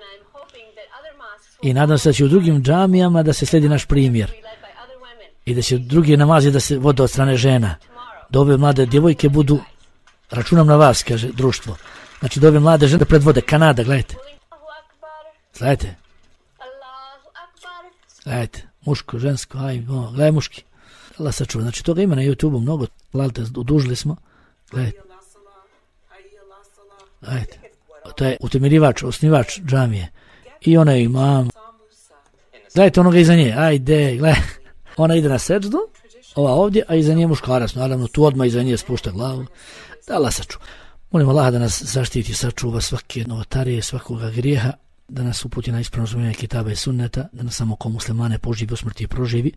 I nadam se da će u drugim džamijama da se slijedi naš primjer. I da će drugi namazi da se vode od strane žena. Da ove mlade djevojke budu, računam na vas, kaže društvo. Znači da ove mlade žene predvode. Kanada, gledajte. Gledajte. Gledajte. Muško, žensko, aj, o, gledaj muški. Allah sačuva. Znači toga ima na YouTubeu mnogo. Gledajte, udužili smo. Gledajte. Gledajte. To je utemeljivač, osnivač džamije. I ona je imam. Gledajte onoga iza nje. Ajde, gledaj. Ona ide na seđdu, ova ovdje, a iza nje muškarac. Naravno, tu odmah iza nje spušta glavu. Da Allah sačuva. Molim Allah da nas zaštiti, sačuva svake novotarije, svakoga grijeha, da nas uputi na ispravno razumijevanje kitaba i sunneta, da nas samo ko muslimane poživi, usmrti i proživi.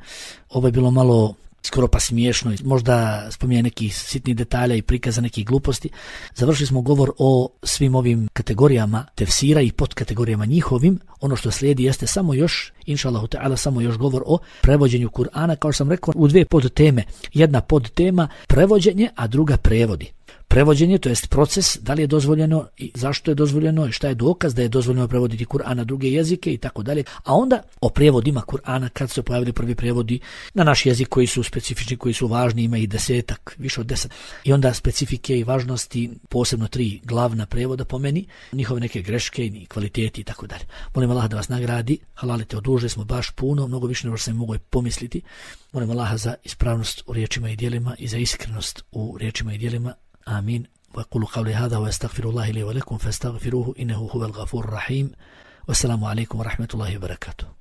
Ovo je bilo malo skoro pa smiješno, možda spominje nekih sitnih detalja i prikaza nekih gluposti. Završili smo govor o svim ovim kategorijama tefsira i podkategorijama njihovim. Ono što slijedi jeste samo još, inša Allahu ta'ala, samo još govor o prevođenju Kur'ana, kao što sam rekao, u dvije podteme. Jedna podtema prevođenje, a druga prevodi. Prevođenje, to jest proces, da li je dozvoljeno i zašto je dozvoljeno i šta je dokaz da je dozvoljeno prevoditi Kur'an na druge jezike i tako dalje. A onda o prevodima Kur'ana, kad su pojavili prvi prevodi na naš jezik koji su specifični, koji su važni, ima i desetak, više od deset. I onda specifike i važnosti, posebno tri glavna prevoda po meni, njihove neke greške i kvaliteti i tako dalje. Molim Allah da vas nagradi, halalite, odužili smo baš puno, mnogo više nego što sam mogu pomisliti. Molim Allaha za ispravnost u riječima i djelima i za iskrenost u riječima i djelima. آمين وأقول قولي هذا وأستغفر الله لي ولكم فاستغفروه إنه هو الغفور الرحيم والسلام عليكم ورحمة الله وبركاته.